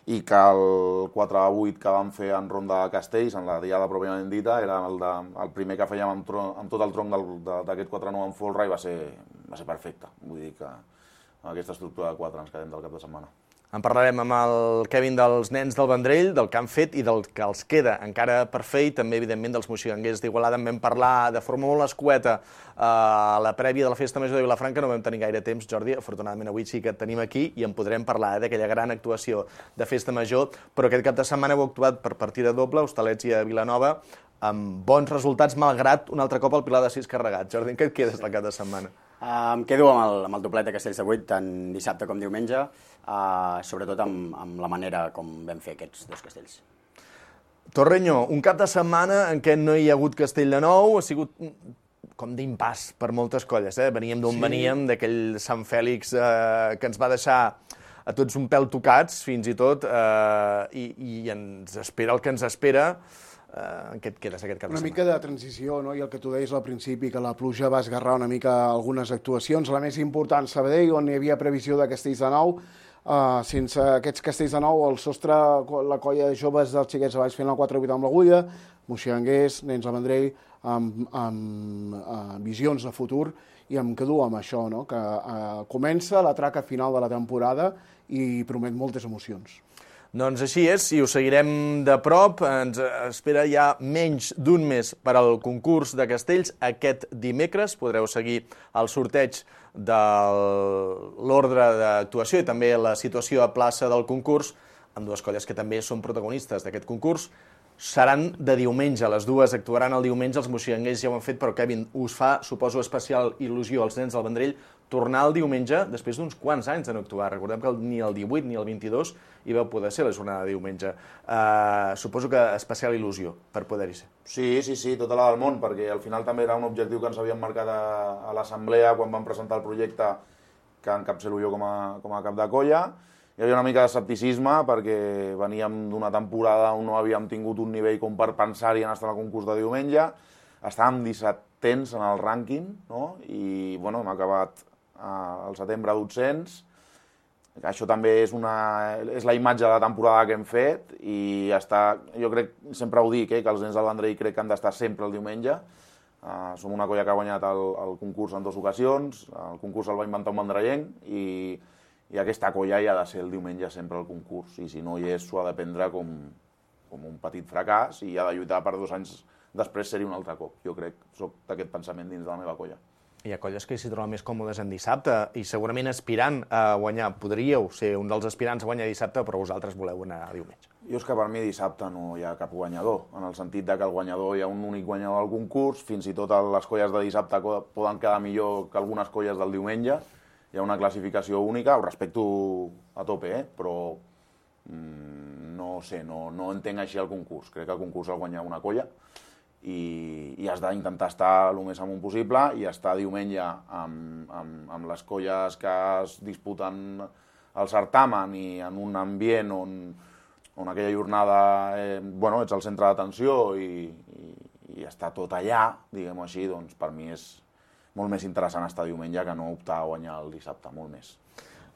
i que el 4-8 que vam fer en Ronda de Castells, en la diada pròpiament dita, era el primer que fèiem amb tot el tronc d'aquest 4-9 en folre i va ser perfecte. Vull dir que amb aquesta estructura de 4 ens quedem del cap de setmana. En parlarem amb el Kevin dels nens del Vendrell, del que han fet i del que els queda encara per fer, i també, evidentment, dels moxiganguers d'Igualada. En vam parlar de forma molt escueta a la prèvia de la Festa Major de Vilafranca, no vam tenir gaire temps, Jordi, afortunadament avui sí que et tenim aquí i en podrem parlar d'aquella gran actuació de Festa Major, però aquest cap de setmana heu actuat per partida doble, Hostalets i a Vilanova, amb bons resultats, malgrat un altre cop el Pilar de 6 carregat. Jordi, en què et quedes del cap de setmana? Em quedo amb el doblet de Castells de 8, tant dissabte com diumenge, sobretot amb la manera com vam fer aquests dos castells. Torreño, un cap de setmana en què no hi ha hagut castell de nou, ha sigut com d'impàs per moltes colles. Veníem d'on veníem, d'aquell Sant Fèlix que ens va deixar a tots un pèl tocats, fins i tot, i ens espera el que ens espera. En què et quedes aquest cap de setmana? Una mica de transició, no? I el que tu deies al principi, que la pluja va esgarrar una mica algunes actuacions. La més important, Sabadell, on hi havia previsió de castells de nou. Sense aquests castells de nou, el sostre, la colla de joves dels xiquets de Valls fent el 4-8 amb l'agulla, moxiganguers, nens de Vendrell, amb visions de futur, i em quedo amb això, no? Que comença la traca final de la temporada i promet moltes emocions. Doncs així és, i ho seguirem de prop. Ens espera ja menys d'un mes per al concurs de castells. Aquest dimecres podreu seguir el sorteig de l'ordre d'actuació i també la situació a plaça del concurs, amb dues colles que també són protagonistes d'aquest concurs. Seran de diumenge, les dues actuaran el diumenge, els moxiganguers ja ho han fet, però Kevin, us fa, suposo, especial il·lusió als nens del Vendrell tornar el diumenge després d'uns quants anys de no actuar. Recordem que ni el 18 ni el 22 hi vau poder ser la jornada de diumenge. Suposo que especial il·lusió per poder-hi ser. Sí, tota la del món, perquè al final també era un objectiu que ens havíem marcat a l'assemblea quan vam presentar el projecte que encapçalo jo com a cap de colla. Hi havia una mica d'escepticisme perquè veníem d'una temporada on no havíem tingut un nivell com per pensar-hi en estar al concurs de diumenge. Estàvem 17ens en el rànquing, no? I bueno, hem acabat al setembre 200. Això també és la imatge de la temporada que hem fet i jo crec, sempre ho dic, que els nens del Vendrell crec que han d'estar sempre el diumenge. Som una colla que ha guanyat el concurs en 2 ocasions, el concurs el va inventar un vendrellenc i aquesta colla hi ha de ser el diumenge sempre al concurs, i si no hi és s'ho ha de prendre com un petit fracàs i ha de lluitar per 2 anys després ser-hi un altre cop. Jo crec, soc d'aquest pensament dins de la meva colla. Hi ha colles que s'hi troben més còmodes en dissabte i segurament aspirant a guanyar. Podríeu ser un dels aspirants a guanyar dissabte, però vosaltres voleu anar a diumenge. Jo és que per mi dissabte no hi ha cap guanyador, en el sentit que el guanyador hi ha un únic guanyador del concurs, fins i tot les colles de dissabte poden quedar millor que algunes colles del diumenge. Hi ha una classificació única, ho respecto a tope, però no sé, no entenc així el concurs. Crec que el concurs el guanya una colla i has d'intentar estar el més amunt possible i estar diumenge amb les colles que es disputen el certamen i en un ambient on aquella jornada ets al centre d'atenció i està tot allà, diguem-ho així, doncs per mi és molt més interessant estar diumenge que no optar a guanyar el dissabte, molt més.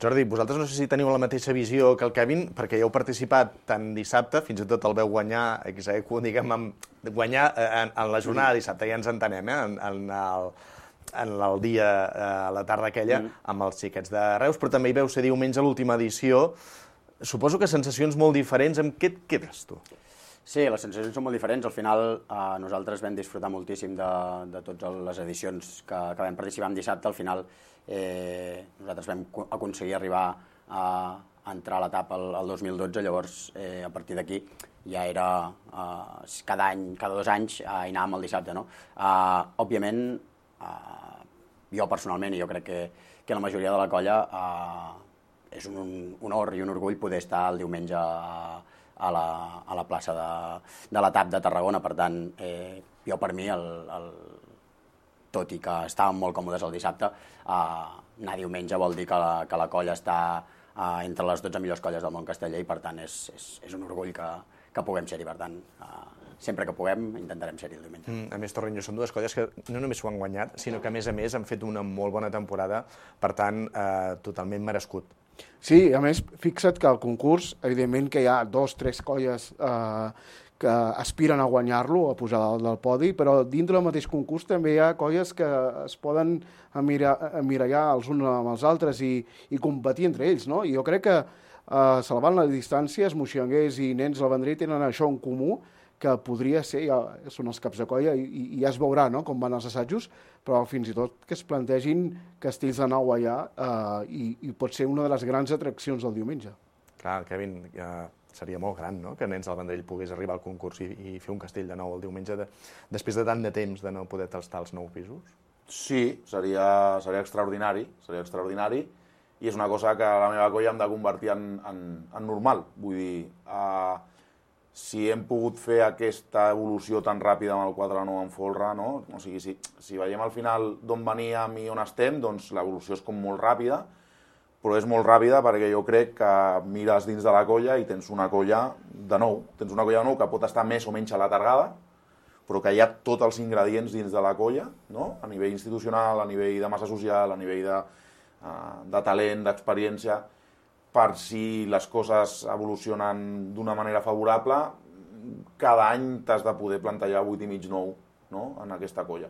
Jordi, vosaltres no sé si teniu la mateixa visió que el Kevin, perquè ja heu participat tant dissabte, fins i tot el veu guanyar, guanyar en la jornada de dissabte, ja ens entenem, en el dia, a la tarda aquella, amb els xiquets de Reus, però també hi veu ser diumenge a l'última edició. Suposo que sensacions molt diferents. Amb què et quedes, tu? Sí, les sensacions són molt diferents. Al final nosaltres vam disfrutar moltíssim de totes les edicions que vam participar en dissabte. Al final nosaltres vam aconseguir arribar a entrar a l'etapa el 2012, llavors a partir d'aquí ja era cada any, cada 2 anys hi anàvem el dissabte, no? Òbviament, jo personalment, i jo crec que la majoria de la colla, és un honor i un orgull poder estar el diumenge a la plaça de la TAP de Tarragona. Per tant, jo per mi, tot i que estàvem molt còmodes el dissabte, anar diumenge vol dir que la colla està entre les 12 millors colles del món casteller i per tant és un orgull que puguem ser-hi. Per tant, sempre que puguem intentarem ser-hi el diumenge. A més, Torrenyo, són dues colles que no només s'ho han guanyat, sinó que a més han fet una molt bona temporada, per tant, totalment merescut. Sí, a més, fixa't que al concurs, evidentment que hi ha 2 o 3 colles que aspiren a guanyar-lo, a pujar dalt del podi, però dintre del mateix concurs també hi ha colles que es poden emmirallar els uns amb els altres i competir entre ells, no? I jo crec que, salvant les distàncies, moixanguers i nens del Vendrell tenen això en comú, que podria ser, ja són els caps de colla i ja es veurà, no?, com van els assajos, però fins i tot que es plantegin castells de nou allà i pot ser una de les grans atraccions del diumenge. Clar, Kevin, seria molt gran, no?, que Nens del Vendrell pogués arribar al concurs i fer un castell de nou el diumenge després de tant de temps de no poder tastar els 9 pisos. Sí, seria extraordinari, i és una cosa que la meva colla hem de convertir en normal. Vull dir, si hem pogut fer aquesta evolució tan ràpida amb el 4-9 en folre, no? O sigui, si veiem al final d'on veníem i on estem, doncs l'evolució és com molt ràpida, però és molt ràpida perquè jo crec que mires dins de la colla i tens una colla de nou. Tens una colla de nou que pot estar més o menys alatargada, però que hi ha tots els ingredients dins de la colla, no? A nivell institucional, a nivell de massa social, a nivell de talent, d'experiència, per si les coses evolucionen d'una manera favorable, cada any t'has de poder plantejar 8 i mig, 9, no?, en aquesta colla.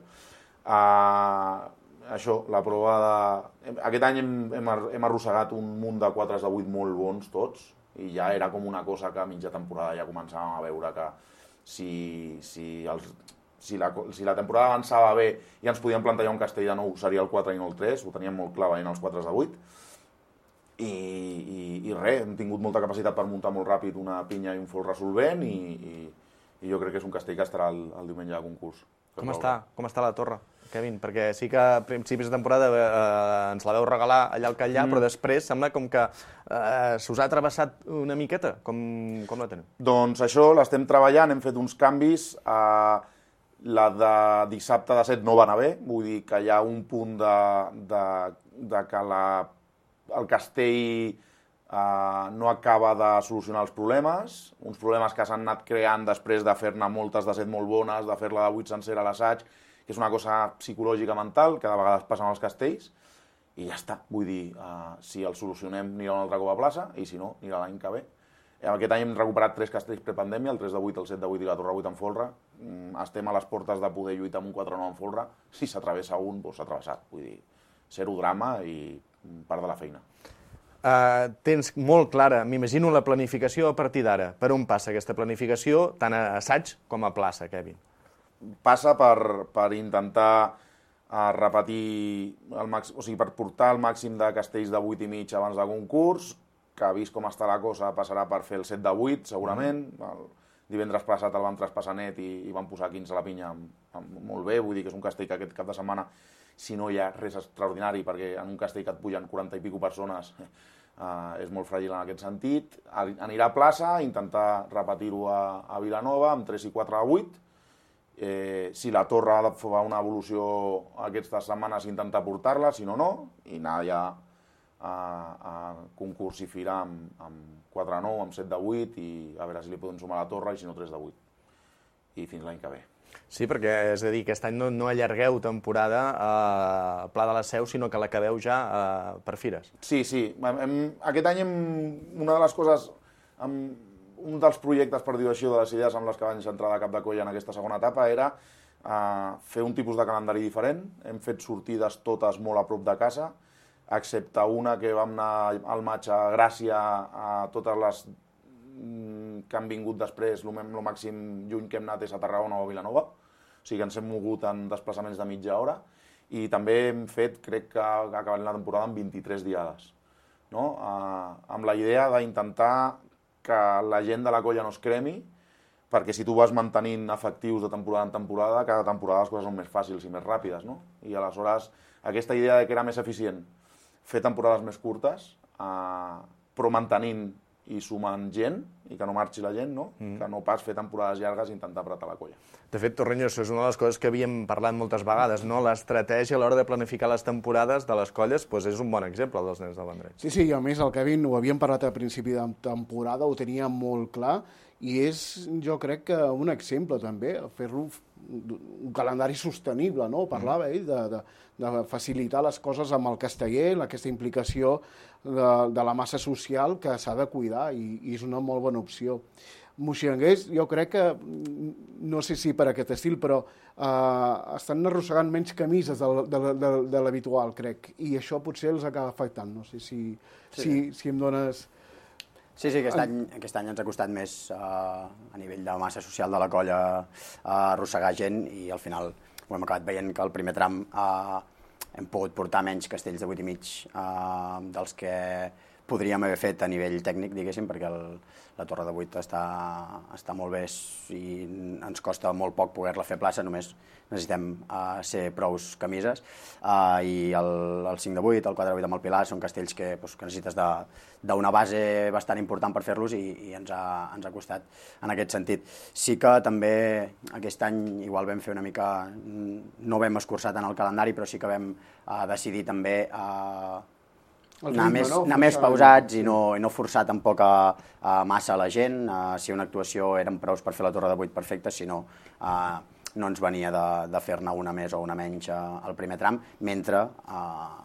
Això, la prova de... Aquest any hem arrossegat un munt de 4 de 8 molt bons tots, i ja era com una cosa que a mitja temporada ja començàvem a veure que si la temporada avançava bé i ens podíem plantejar un castell de nou, seria el 4 i no el 3, ho teníem molt clar veient els 4 de 8, i res, hem tingut molta capacitat per muntar molt ràpid una pinya i un folre solvent i jo crec que és un castell que estarà el diumenge de concurs. Com està la torre, Kevin? Perquè sí que a principis de temporada ens la veu regalar allà al Catllà, però després sembla com que s'us ha travessat una miqueta. Com la teniu? Doncs això, l'estem treballant, hem fet uns canvis. La de dissabte de 7 no va anar bé, vull dir que hi ha un punt de que el castell no acaba de solucionar els problemes, uns problemes que s'han anat creant després de fer-ne moltes de 7 molt bones, de fer-la de 8 sencera a l'assaig, que és una cosa psicològica mental que de vegades passa amb els castells, i ja està. Vull dir, si el solucionem anirà un altre cop a plaça, i si no, anirà l'any que ve. Aquest any hem recuperat 3 castells prepandèmia, el 3 de 8, el 7 de 8 i la torre 8 en folre. Estem a les portes de poder lluitar amb un 4-9 en folre. Si s'atravessa un, doncs s'ha travessat. Vull dir, zero drama i part de la feina. Tens molt clara, m'imagino, la planificació a partir d'ara. Per on passa aquesta planificació, tant a assaig com a plaça, Kevin? Passa per intentar repetir, per portar el màxim de castells de 8 i mig abans de concurs, que vist com està la cosa passarà per fer el 7 de 8, segurament. El divendres passat el vam traspassar net i vam posar 15 a la pinya molt bé, vull dir que és un castell que aquest cap de setmana, si no hi ha res extraordinari, perquè en un castell que et pugen 40 i pico persones és molt fràgil en aquest sentit. Anirà a plaça, intentar repetir-ho a Vilanova amb 3 i 4 a 8. Si la torre ha de fer una evolució aquestes setmanes, intentar portar-la, si no, no, i anar ja a concurs i fira amb 4 a 9, amb 7 de 8, i a veure si li podem sumar la torre, i si no 3 de 8. I fins l'any que ve. Sí, perquè, és a dir, aquest any no allargueu temporada a Pla de la Seu, sinó que l'acabeu ja per fires. Sí. Aquest any una de les coses, un dels projectes, per dir-ho així, de les idees amb les que vaig entrar de cap de colla en aquesta segona etapa era fer un tipus de calendari diferent. Hem fet sortides totes molt a prop de casa, excepte una que vam anar al maig a Gràcia a totes les que han vingut després, el màxim lluny que hem anat és a Tarragona o a Vilanova, o sigui que ens hem mogut en desplaçaments de mitja hora, i també hem fet, crec que acabem la temporada amb 23 diades, no? Amb la idea d'intentar que la gent de la colla no es cremi, perquè si tu vas mantenint efectius de temporada en temporada, cada temporada les coses són més fàcils i més ràpides, no? I aleshores aquesta idea de que era més eficient fer temporades més curtes, però mantenint i sumant gent, i que no marxi la gent, no? Que no pas fer temporades llargues i intentar apretar la colla. De fet, Torreño, això és una de les coses que havíem parlat moltes vegades, no? L'estratègia a l'hora de planificar les temporades de les colles és un bon exemple dels nens del Vendrell. Sí, i a més el Kevin, ho havíem parlat a principi de temporada, ho tenia molt clar, i és, jo crec que un exemple també, fer-lo un calendari sostenible, no? Parlava ell de facilitar les coses amb el casteller, aquesta implicació de la massa social que s'ha de cuidar, i és una molt bona opció. Moixigranguers, jo crec que, no sé si per aquest estil, però estan arrossegant menys camises de l'habitual, crec, i això potser els acaba afectant. No sé si em dones... Sí, aquest any ens ha costat més a nivell de massa social de la colla arrossegar gent, i al final ho hem acabat veient que al primer tram hem pogut portar menys castells de 8 i mig dels que podríem haver fet a nivell tècnic, diguéssim, perquè la torre de 8 està molt bé i ens costa molt poc poder-la fer plaça, només necessitem ser prous camises, i el 5 de 8, el 4 de 8 amb el Pilar són castells que necessites d'una base bastant important per fer-los, i ens ha costat en aquest sentit. Sí que també aquest any igual vam fer una mica, no vam escurçar tant el calendari, però sí que vam decidir també anar més pausats i no forçar tampoc massa la gent. Si una actuació eren prous per fer la torre de 8 perfecta, si no, no ens venia de fer-ne una més o una menys al primer tram, mentre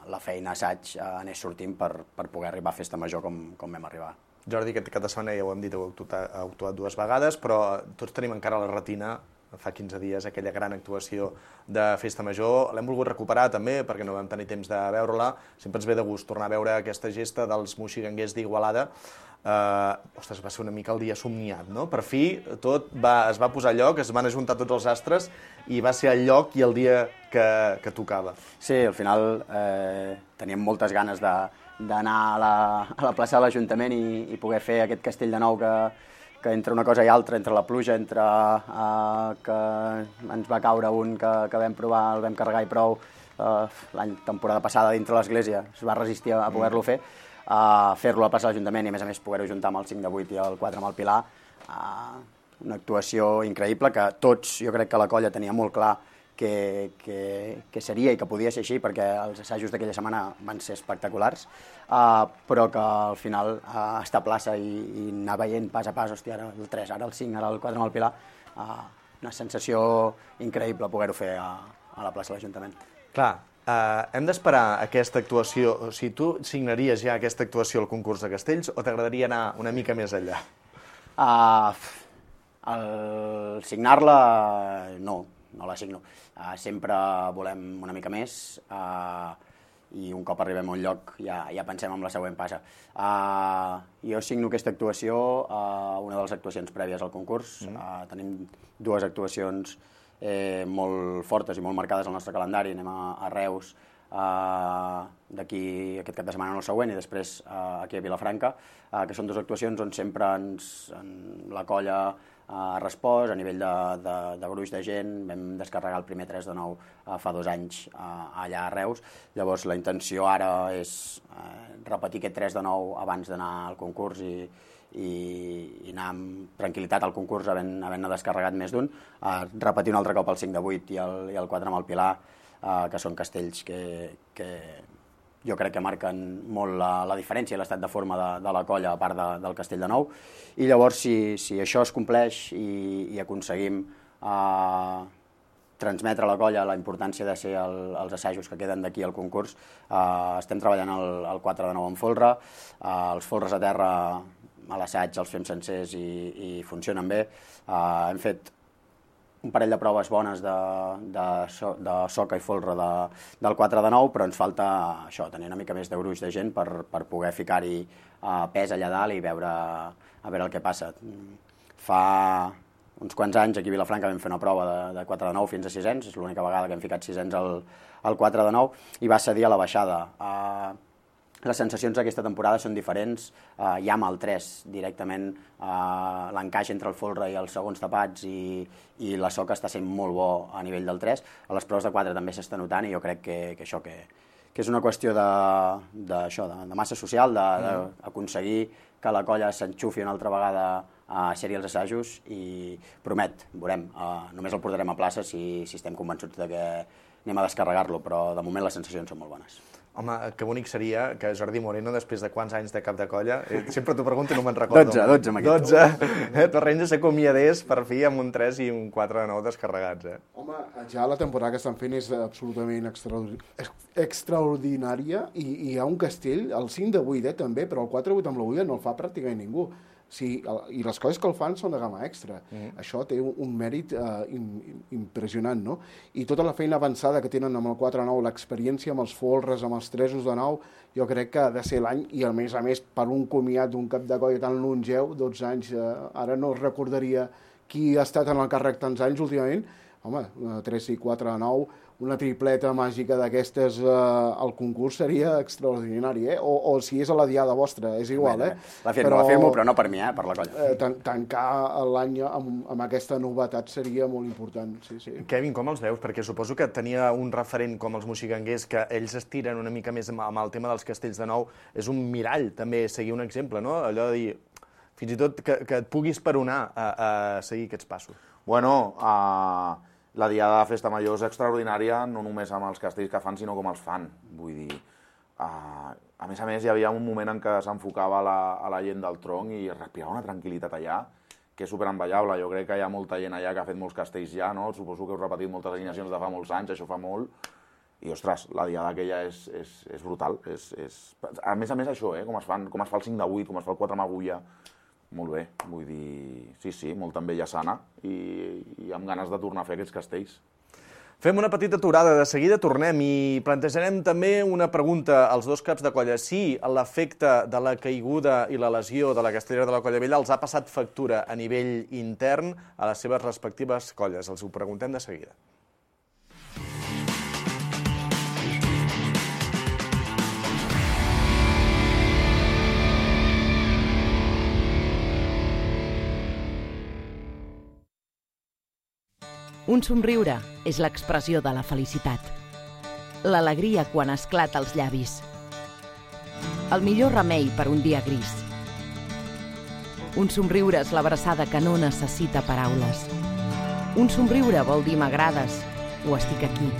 la feina assaig anés sortint per poder arribar a Festa Major com vam arribar. Jordi, aquest cap de setmana ja ho hem dit, heu actuat 2 vegades, però tots tenim encara la retina, fa 15 dies, aquella gran actuació de Festa Major. L'hem volgut recuperar també, perquè no vam tenir temps de veure-la. Sempre ens ve de gust tornar a veure aquesta gesta dels moixigranguers d'Igualada. Ostres, va ser una mica el dia somniat, no? Per fi tot es va posar a lloc, es van ajuntar tots els astres i va ser el lloc i el dia que tocava. Sí, al final teníem moltes ganes d'anar a la plaça de l'Ajuntament i poder fer aquest castell de nou que entre una cosa i altra, entre la pluja, entre que ens va caure un que vam provar, el vam carregar i prou, temporada passada dintre l'església es va resistir a poder-lo fer, fer-lo a la plaça de l'Ajuntament i a més poder-ho juntar amb el 5 de 8 i el 4 amb el Pilar, una actuació increïble que tots, jo crec que la colla tenia molt clar que seria i que podia ser així, perquè els assajos d'aquella setmana van ser espectaculars, però que al final estar a plaça i anar veient pas a pas, hòstia, ara el 3, ara el 5, ara el 4 amb el Pilar, una sensació increïble poder-ho fer a la plaça de l'Ajuntament. Clar, hem d'esperar aquesta actuació, o sigui, tu signaries ja aquesta actuació al concurs de castells o t'agradaria anar una mica més enllà? Signar-la, no la signo. Sempre volem una mica més i un cop arribem a un lloc ja pensem en la següent passa. Jo signo aquesta actuació, una de les actuacions prèvies al concurs. Tenim 2 actuacions molt fortes i molt marcades al nostre calendari. Anem a Reus d'aquí aquest cap de setmana, no el següent, i després aquí a Vilafranca, que són 2 actuacions on sempre la colla ha respost a nivell de gruix de gent. Vam descarregar el primer 3 de 9 fa 2 anys allà a Reus. Llavors la intenció ara és repetir aquest 3 de 9 abans d'anar al concurs i anar amb tranquil·litat al concurs havent-ne descarregat més d'un, repetir un altre cop el 5 de 8 i el 4 amb el Pilar, que són castells que jo crec que marquen molt la diferència i l'estat de forma de la colla a part del castell de nou. I llavors, si això es compleix i aconseguim transmetre a la colla la importància de ser els assajos que queden d'aquí al concurs, estem treballant el 4 de 9 en folre, els folres a terra a l'assaig els fem sencers i funcionen bé. Hem fet un parell de proves bones de soca i folre del 4 de 9, però ens falta això, tenir una mica més de gruix de gent per poder ficar-hi pes allà dalt i veure el que passa. Fa uns quants anys aquí a Vilafranca vam fer una prova de 4 de 9 fins a 600, és l'única vegada que hem ficat 600 al 4 de 9, i va cedir a la baixada. Les sensacions d'aquesta temporada són diferents, ja amb el 3 directament l'encaix entre el folre i els segons tapats i la soca està sent molt bo a nivell del 3, a les proves de 4 també s'està notant i jo crec que això que és una qüestió de massa social, d'aconseguir que la colla s'enxufi una altra vegada a ser-hi els assajos i promet, veurem, només el portarem a plaça si estem convençuts de que anem a descarregar-lo, però de moment les sensacions són molt bones. Home, que bonic seria que Jordi Moreno, després de quants anys de cap de colla, sempre t'ho pregunto i no me'n recordo. 12 amb aquest. 12. Torrents s'acomiadés per fi amb un 3 i un 4 de 9 descarregats. Home, ja la temporada que estan fent és absolutament extraordinària i hi ha un castell, el 5 de 8 també, però el 4 de 8 amb la 8 no el fa pràcticament ningú. Sí, i les coses que el fan són de gamma extra. Això té un mèrit impressionant, no? I tota la feina avançada que tenen amb el 4-9, l'experiència amb els folres, amb els 3 de 9, jo crec que ha de ser l'any, i a més, per un comiat d'un cap de colla tan longeu, 12 anys, ara no recordaria qui ha estat en el càrrec tants anys últimament, home, 3 i 4 de 9, una tripleta màgica d'aquestes al concurs seria extraordinari, o si és a la diada vostra, és igual, La firmo, però no per mi, per la colla. Tancar l'any amb aquesta novetat seria molt important, sí. Kevin, com els veus? Perquè suposo que tenia un referent com els moxiganguers, que ells es tiren una mica més amb el tema dels castells de nou, és un mirall, també, seguir un exemple, no? Allò de dir, fins i tot que et puguis peronar a seguir aquests passos. Bueno, la diada de Festa Major és extraordinària, no només amb els castells que fan, sinó com els fan. Vull dir, a més, hi havia un moment en què s'enfocava a la gent del tronc i respirava una tranquil·litat allà, que és superenvejable. Jo crec que hi ha molta gent allà que ha fet molts castells ja, no? Suposo que heu repetit moltes alineacions de fa molts anys, això fa molt. I, ostres, la diada aquella és brutal. A més, això, com es fa el 5 de 8, com es fa el 4 amb agulla. Molt bé, vull dir, sí, molt també ja sana i amb ganes de tornar a fer aquests castells. Fem una petita aturada, de seguida tornem i plantejarem també una pregunta als dos caps de colla. Si l'efecte de la caiguda i la lesió de la castellera de la Colla Vella els ha passat factura a nivell intern a les seves respectives colles. Els ho preguntem de seguida. Un somriure és l'expressió de la felicitat. L'alegria quan esclata als llavis. El millor remei per un dia gris. Un somriure és l'abraçada que no necessita paraules. Un somriure vol dir m'agrades o estic aquí.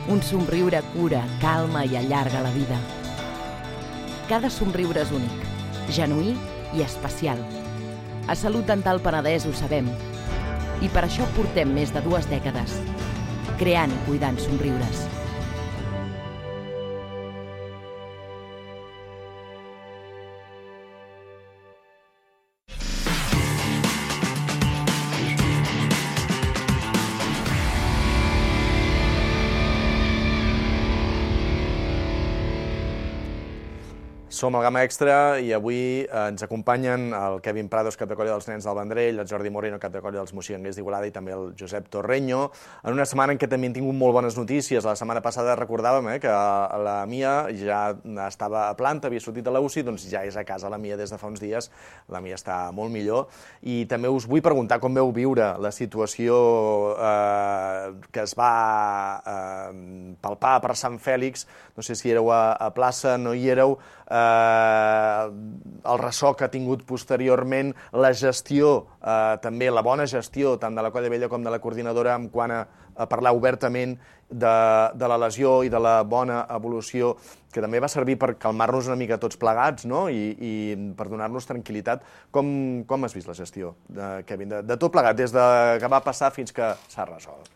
Un somriure cura, calma i allarga la vida. Cada somriure és únic, genuí i especial. A Salut Dental Penedès ho sabem. I per això portem més de 2 dècades, creant i cuidant somriures. Som al Gamma Extra i avui ens acompanyen el Kevin Prados, cap de colla dels Nens del Vendrell, el Jordi Moreno, cap de colla dels Moxiganguers d'Igualada, i també el Josep Torreño, en una setmana en què també hem tingut molt bones notícies. La setmana passada recordàvem que la Mia ja estava a planta, havia sortit de la UCI, doncs ja és a casa la Mia des de fa uns dies, la Mia està molt millor, i també us vull preguntar com veu viure la situació que es va palpar per Sant Fèlix, no sé si éreu a plaça, no hi éreu, el ressò que ha tingut posteriorment, la gestió, també la bona gestió, tant de la Colla Vella com de la coordinadora, en quant a parlar obertament de la lesió i de la bona evolució, que també va servir per calmar-nos una mica tots plegats, no? I per donar-nos tranquil·litat. Com has vist la gestió, Kevin, de tot plegat, des que va passar fins que s'ha resolt?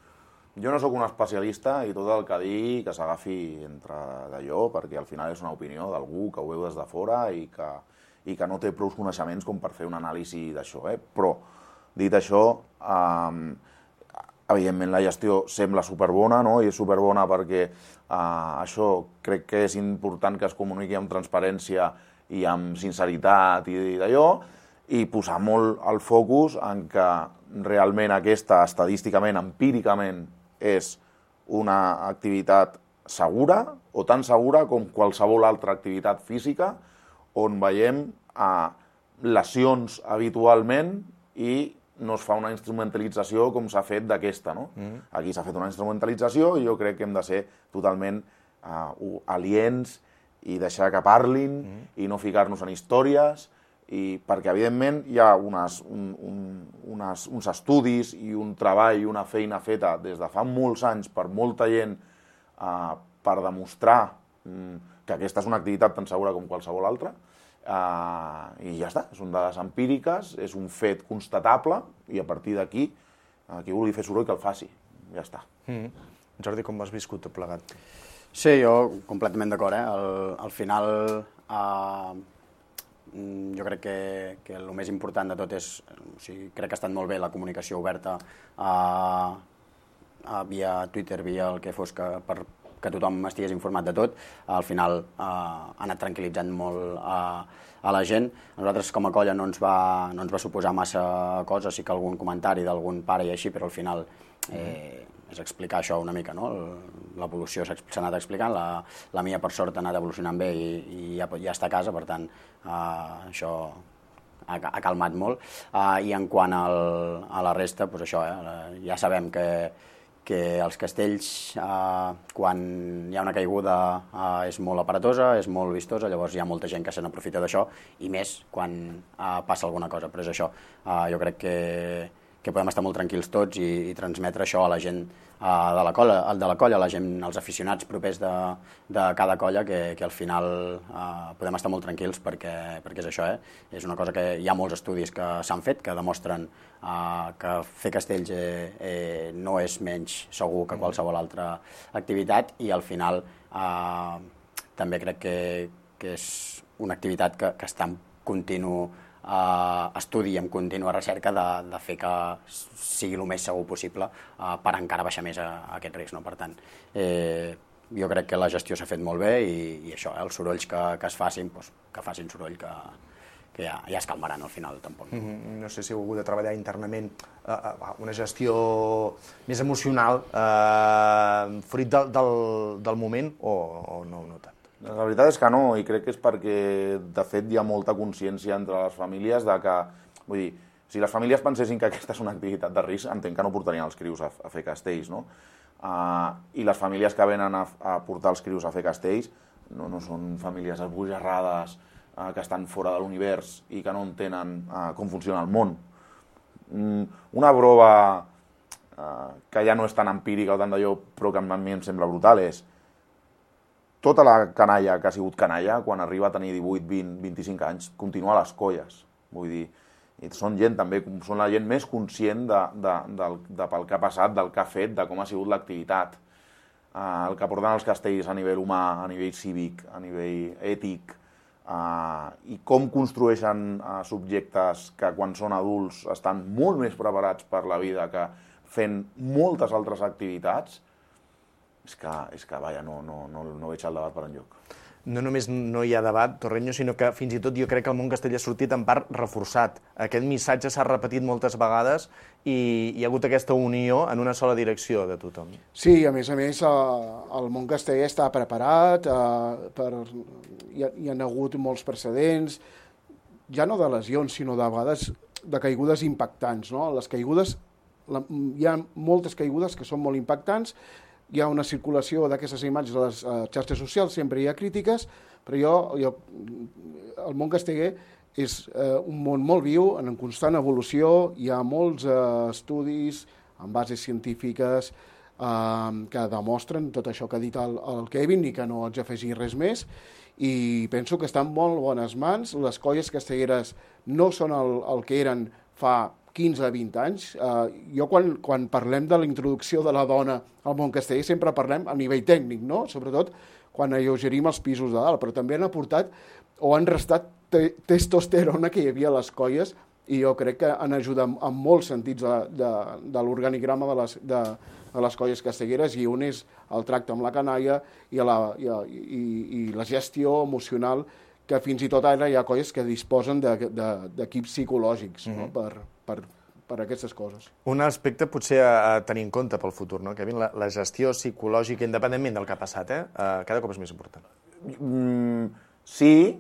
Jo no sóc un especialista i tot el que digui que s'agafi entre d'allò, perquè al final és una opinió d'algú que ho veu des de fora i que no té prou coneixements com per fer un anàlisi d'això. Però, dit això, Evidentment, la gestió sembla superbona, no? I és superbona perquè això crec que és important que es comuniqui amb transparència i amb sinceritat i d'allò, i posar molt el focus en que realment aquesta, estadísticament, empíricament, és una activitat segura, o tan segura com qualsevol altra activitat física, on veiem lesions habitualment i no es fa una instrumentalització com s'ha fet d'aquesta, no? Aquí s'ha fet una instrumentalització i jo crec que hem de ser totalment aliens i deixar que parlin i no ficar-nos en històries, perquè, evidentment, hi ha uns estudis i un treball i una feina feta des de fa molts anys per molta gent per demostrar que aquesta és una activitat tan segura com qualsevol altra, i ja està, són dades empíriques, és un fet constatable, i a partir d'aquí, qui vulgui fer soroll que el faci, ja està. Jordi, com has viscut tot plegat? Sí, jo completament d'acord, Al final, jo crec que el més important de tot és, crec que ha estat molt bé la comunicació oberta via Twitter, via el que fos, que tothom estigués informat de tot. Al final ha anat tranquil·litzant molt a la gent. A nosaltres com a colla no ens va suposar massa coses, sí que algun comentari d'algun pare i així, però al final és explicar això una mica, no? L'evolució s'ha anat explicant, la mia per sort ha anat evolucionant bé i ja està a casa, per tant això ha calmat molt. I en quant a la resta, doncs això, ja sabem que els castells, quan hi ha una caiguda, és molt aparatosa, és molt vistosa, llavors hi ha molta gent que se n'aprofita d'això, i més quan passa alguna cosa. Però és això, jo crec que podem estar molt tranquils tots i transmetre això a la gent de la colla, la gent, els aficionats propers de cada colla, que al final podem estar molt tranquils perquè és això, és una cosa que hi ha molts estudis que s'han fet, que demostren que fer castells no és menys segur que qualsevol altra activitat, i al final també crec que és una activitat que està en continu estudi i en contínua recerca de fer que sigui el més segur possible per encara baixar més aquest risc. Per tant, jo crec que la gestió s'ha fet molt bé i això, els sorolls que es facin, que facin soroll, que ja es calmaran al final, tampoc. No sé si heu hagut de treballar internament una gestió més emocional fruit del moment o no tant? La veritat és que no, i crec que és perquè, de fet, hi ha molta consciència entre les famílies de que, vull dir, si les famílies pensessin que aquesta és una activitat de risc, entenc que no portarien els crius a fer castells, no? I les famílies que venen a portar els crius a fer castells no són famílies esbojarrades que estan fora de l'univers i que no entenen com funciona el món. Una prova que ja no és tan empírica o tant d'allò, però que a mi em sembla brutal, és tota la canalla que ha sigut canalla, quan arriba a tenir 18, 20, 25 anys, continua a les colles. Vull dir, són gent també, són la gent més conscient pel que ha passat, del que ha fet, de com ha sigut l'activitat, el que porten els castells a nivell humà, a nivell cívic, a nivell ètic, i com construeixen subjectes que quan són adults estan molt més preparats per la vida que fent moltes altres activitats. És que, vaja, no veig el debat per enlloc. No només no hi ha debat, Torreño, sinó que fins i tot jo crec que el món castell ha sortit en part reforçat. Aquest missatge s'ha repetit moltes vegades i hi ha hagut aquesta unió en una sola direcció de tothom. Sí, a més, el món castell està preparat, hi ha hagut molts precedents, ja no de lesions, sinó de vegades de caigudes impactants, no? Les caigudes, hi ha moltes caigudes que són molt impactants. Hi ha una circulació d'aquestes imatges a les xarxes socials, sempre hi ha crítiques, però el món casteller és un món molt viu, en constant evolució, hi ha molts estudis amb bases científiques que demostren tot això que ha dit el Kevin i que no haig d'afegir res més, i penso que estan en molt bones mans. Les colles castelleres no són el que eren fa 15-20 anys. Jo quan parlem de la introducció de la dona al món casteller sempre parlem a nivell tècnic, no? Sobretot quan alleugerim els pisos de dalt, però també han aportat o han restat testosterona que hi havia a les colles i jo crec que han ajudat en molts sentits de l'organigrama de les colles castelleres, i un és el tracte amb la canalla i la gestió emocional, que fins i tot ara hi ha colles que disposen d'equips psicològics per aquestes coses. Un aspecte potser a tenir en compte pel futur, no, Kevin? La gestió psicològica, independentment del que ha passat, cada cop és més important. Sí,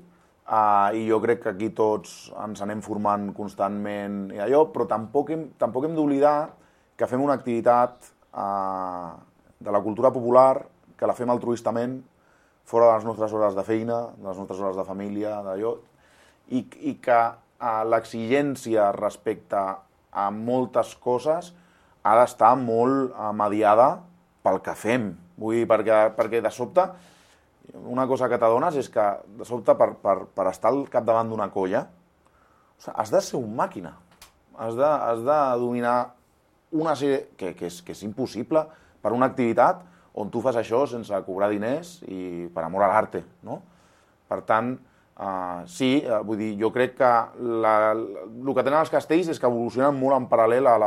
i jo crec que aquí tots ens anem formant constantment i allò, però tampoc hem d'oblidar que fem una activitat de la cultura popular, que la fem altruistament, fora de les nostres hores de feina, de les nostres hores de família, d'allò, i que l'exigència respecte a moltes coses ha d'estar molt mediada pel que fem. Vull dir, perquè de sobte, una cosa que t'adones és que de sobte per estar al capdavant d'una colla has de ser un màquina, has de dominar una sèrie que és impossible per una activitat on tu fas això sense cobrar diners i per amor a l'arte, no? Per tant, sí, vull dir, jo crec que el que tenen els castells és que evolucionen molt en paral·lel a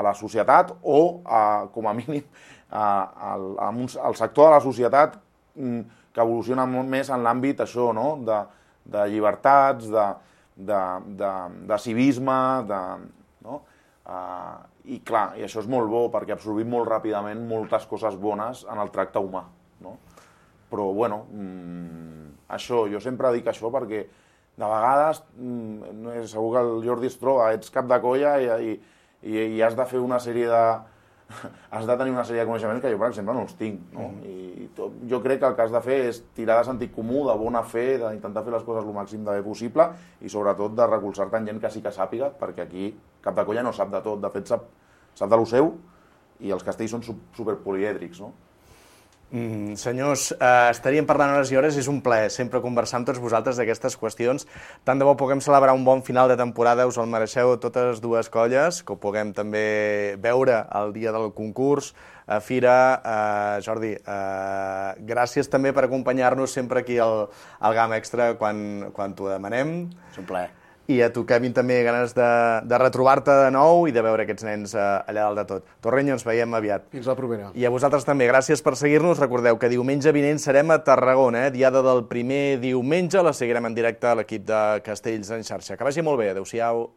la societat o, com a mínim, al sector de la societat que evoluciona molt més en l'àmbit això, no? De llibertats, de civisme, no? I clar, i això és molt bo perquè absorbim molt ràpidament moltes coses bones en el tracte humà, no? Però, bueno, això, jo sempre dic això perquè de vegades, segur que el Jordi es troba, ets cap de colla i has de fer una sèrie de... has de tenir una sèrie de coneixements que jo, per exemple, no els tinc, no? I jo crec que el que has de fer és tirar de sentit comú, de bona fe, d'intentar fer les coses el màxim de bé possible i, sobretot, de recolzar-te en gent que sí que sàpiga, perquè aquí cap de colla no sap de tot, de fet sap de lo seu, i els castells són superpolièdrics, no? Senyors, estaríem parlant hores i hores, és un plaer sempre conversar amb tots vosaltres d'aquestes qüestions. Tant de bo puguem celebrar un bon final de temporada, us el mereixeu totes dues colles, que ho puguem també veure el dia del concurs, a Fira. Jordi, gràcies també per acompanyar-nos sempre aquí al GAM Extra quan t'ho demanem. És un plaer. I a tu, Kevin, també ganes de retrobar-te de nou i de veure aquests nens allà dalt de tot. Torrenyo, ens veiem aviat. Fins la propera. I a vosaltres també, gràcies per seguir-nos. Recordeu que diumenge vinent serem a Tarragona, diada del primer diumenge. La seguirem en directe a l'equip de Castells en xarxa. Que vagi molt bé. Adéu-siau.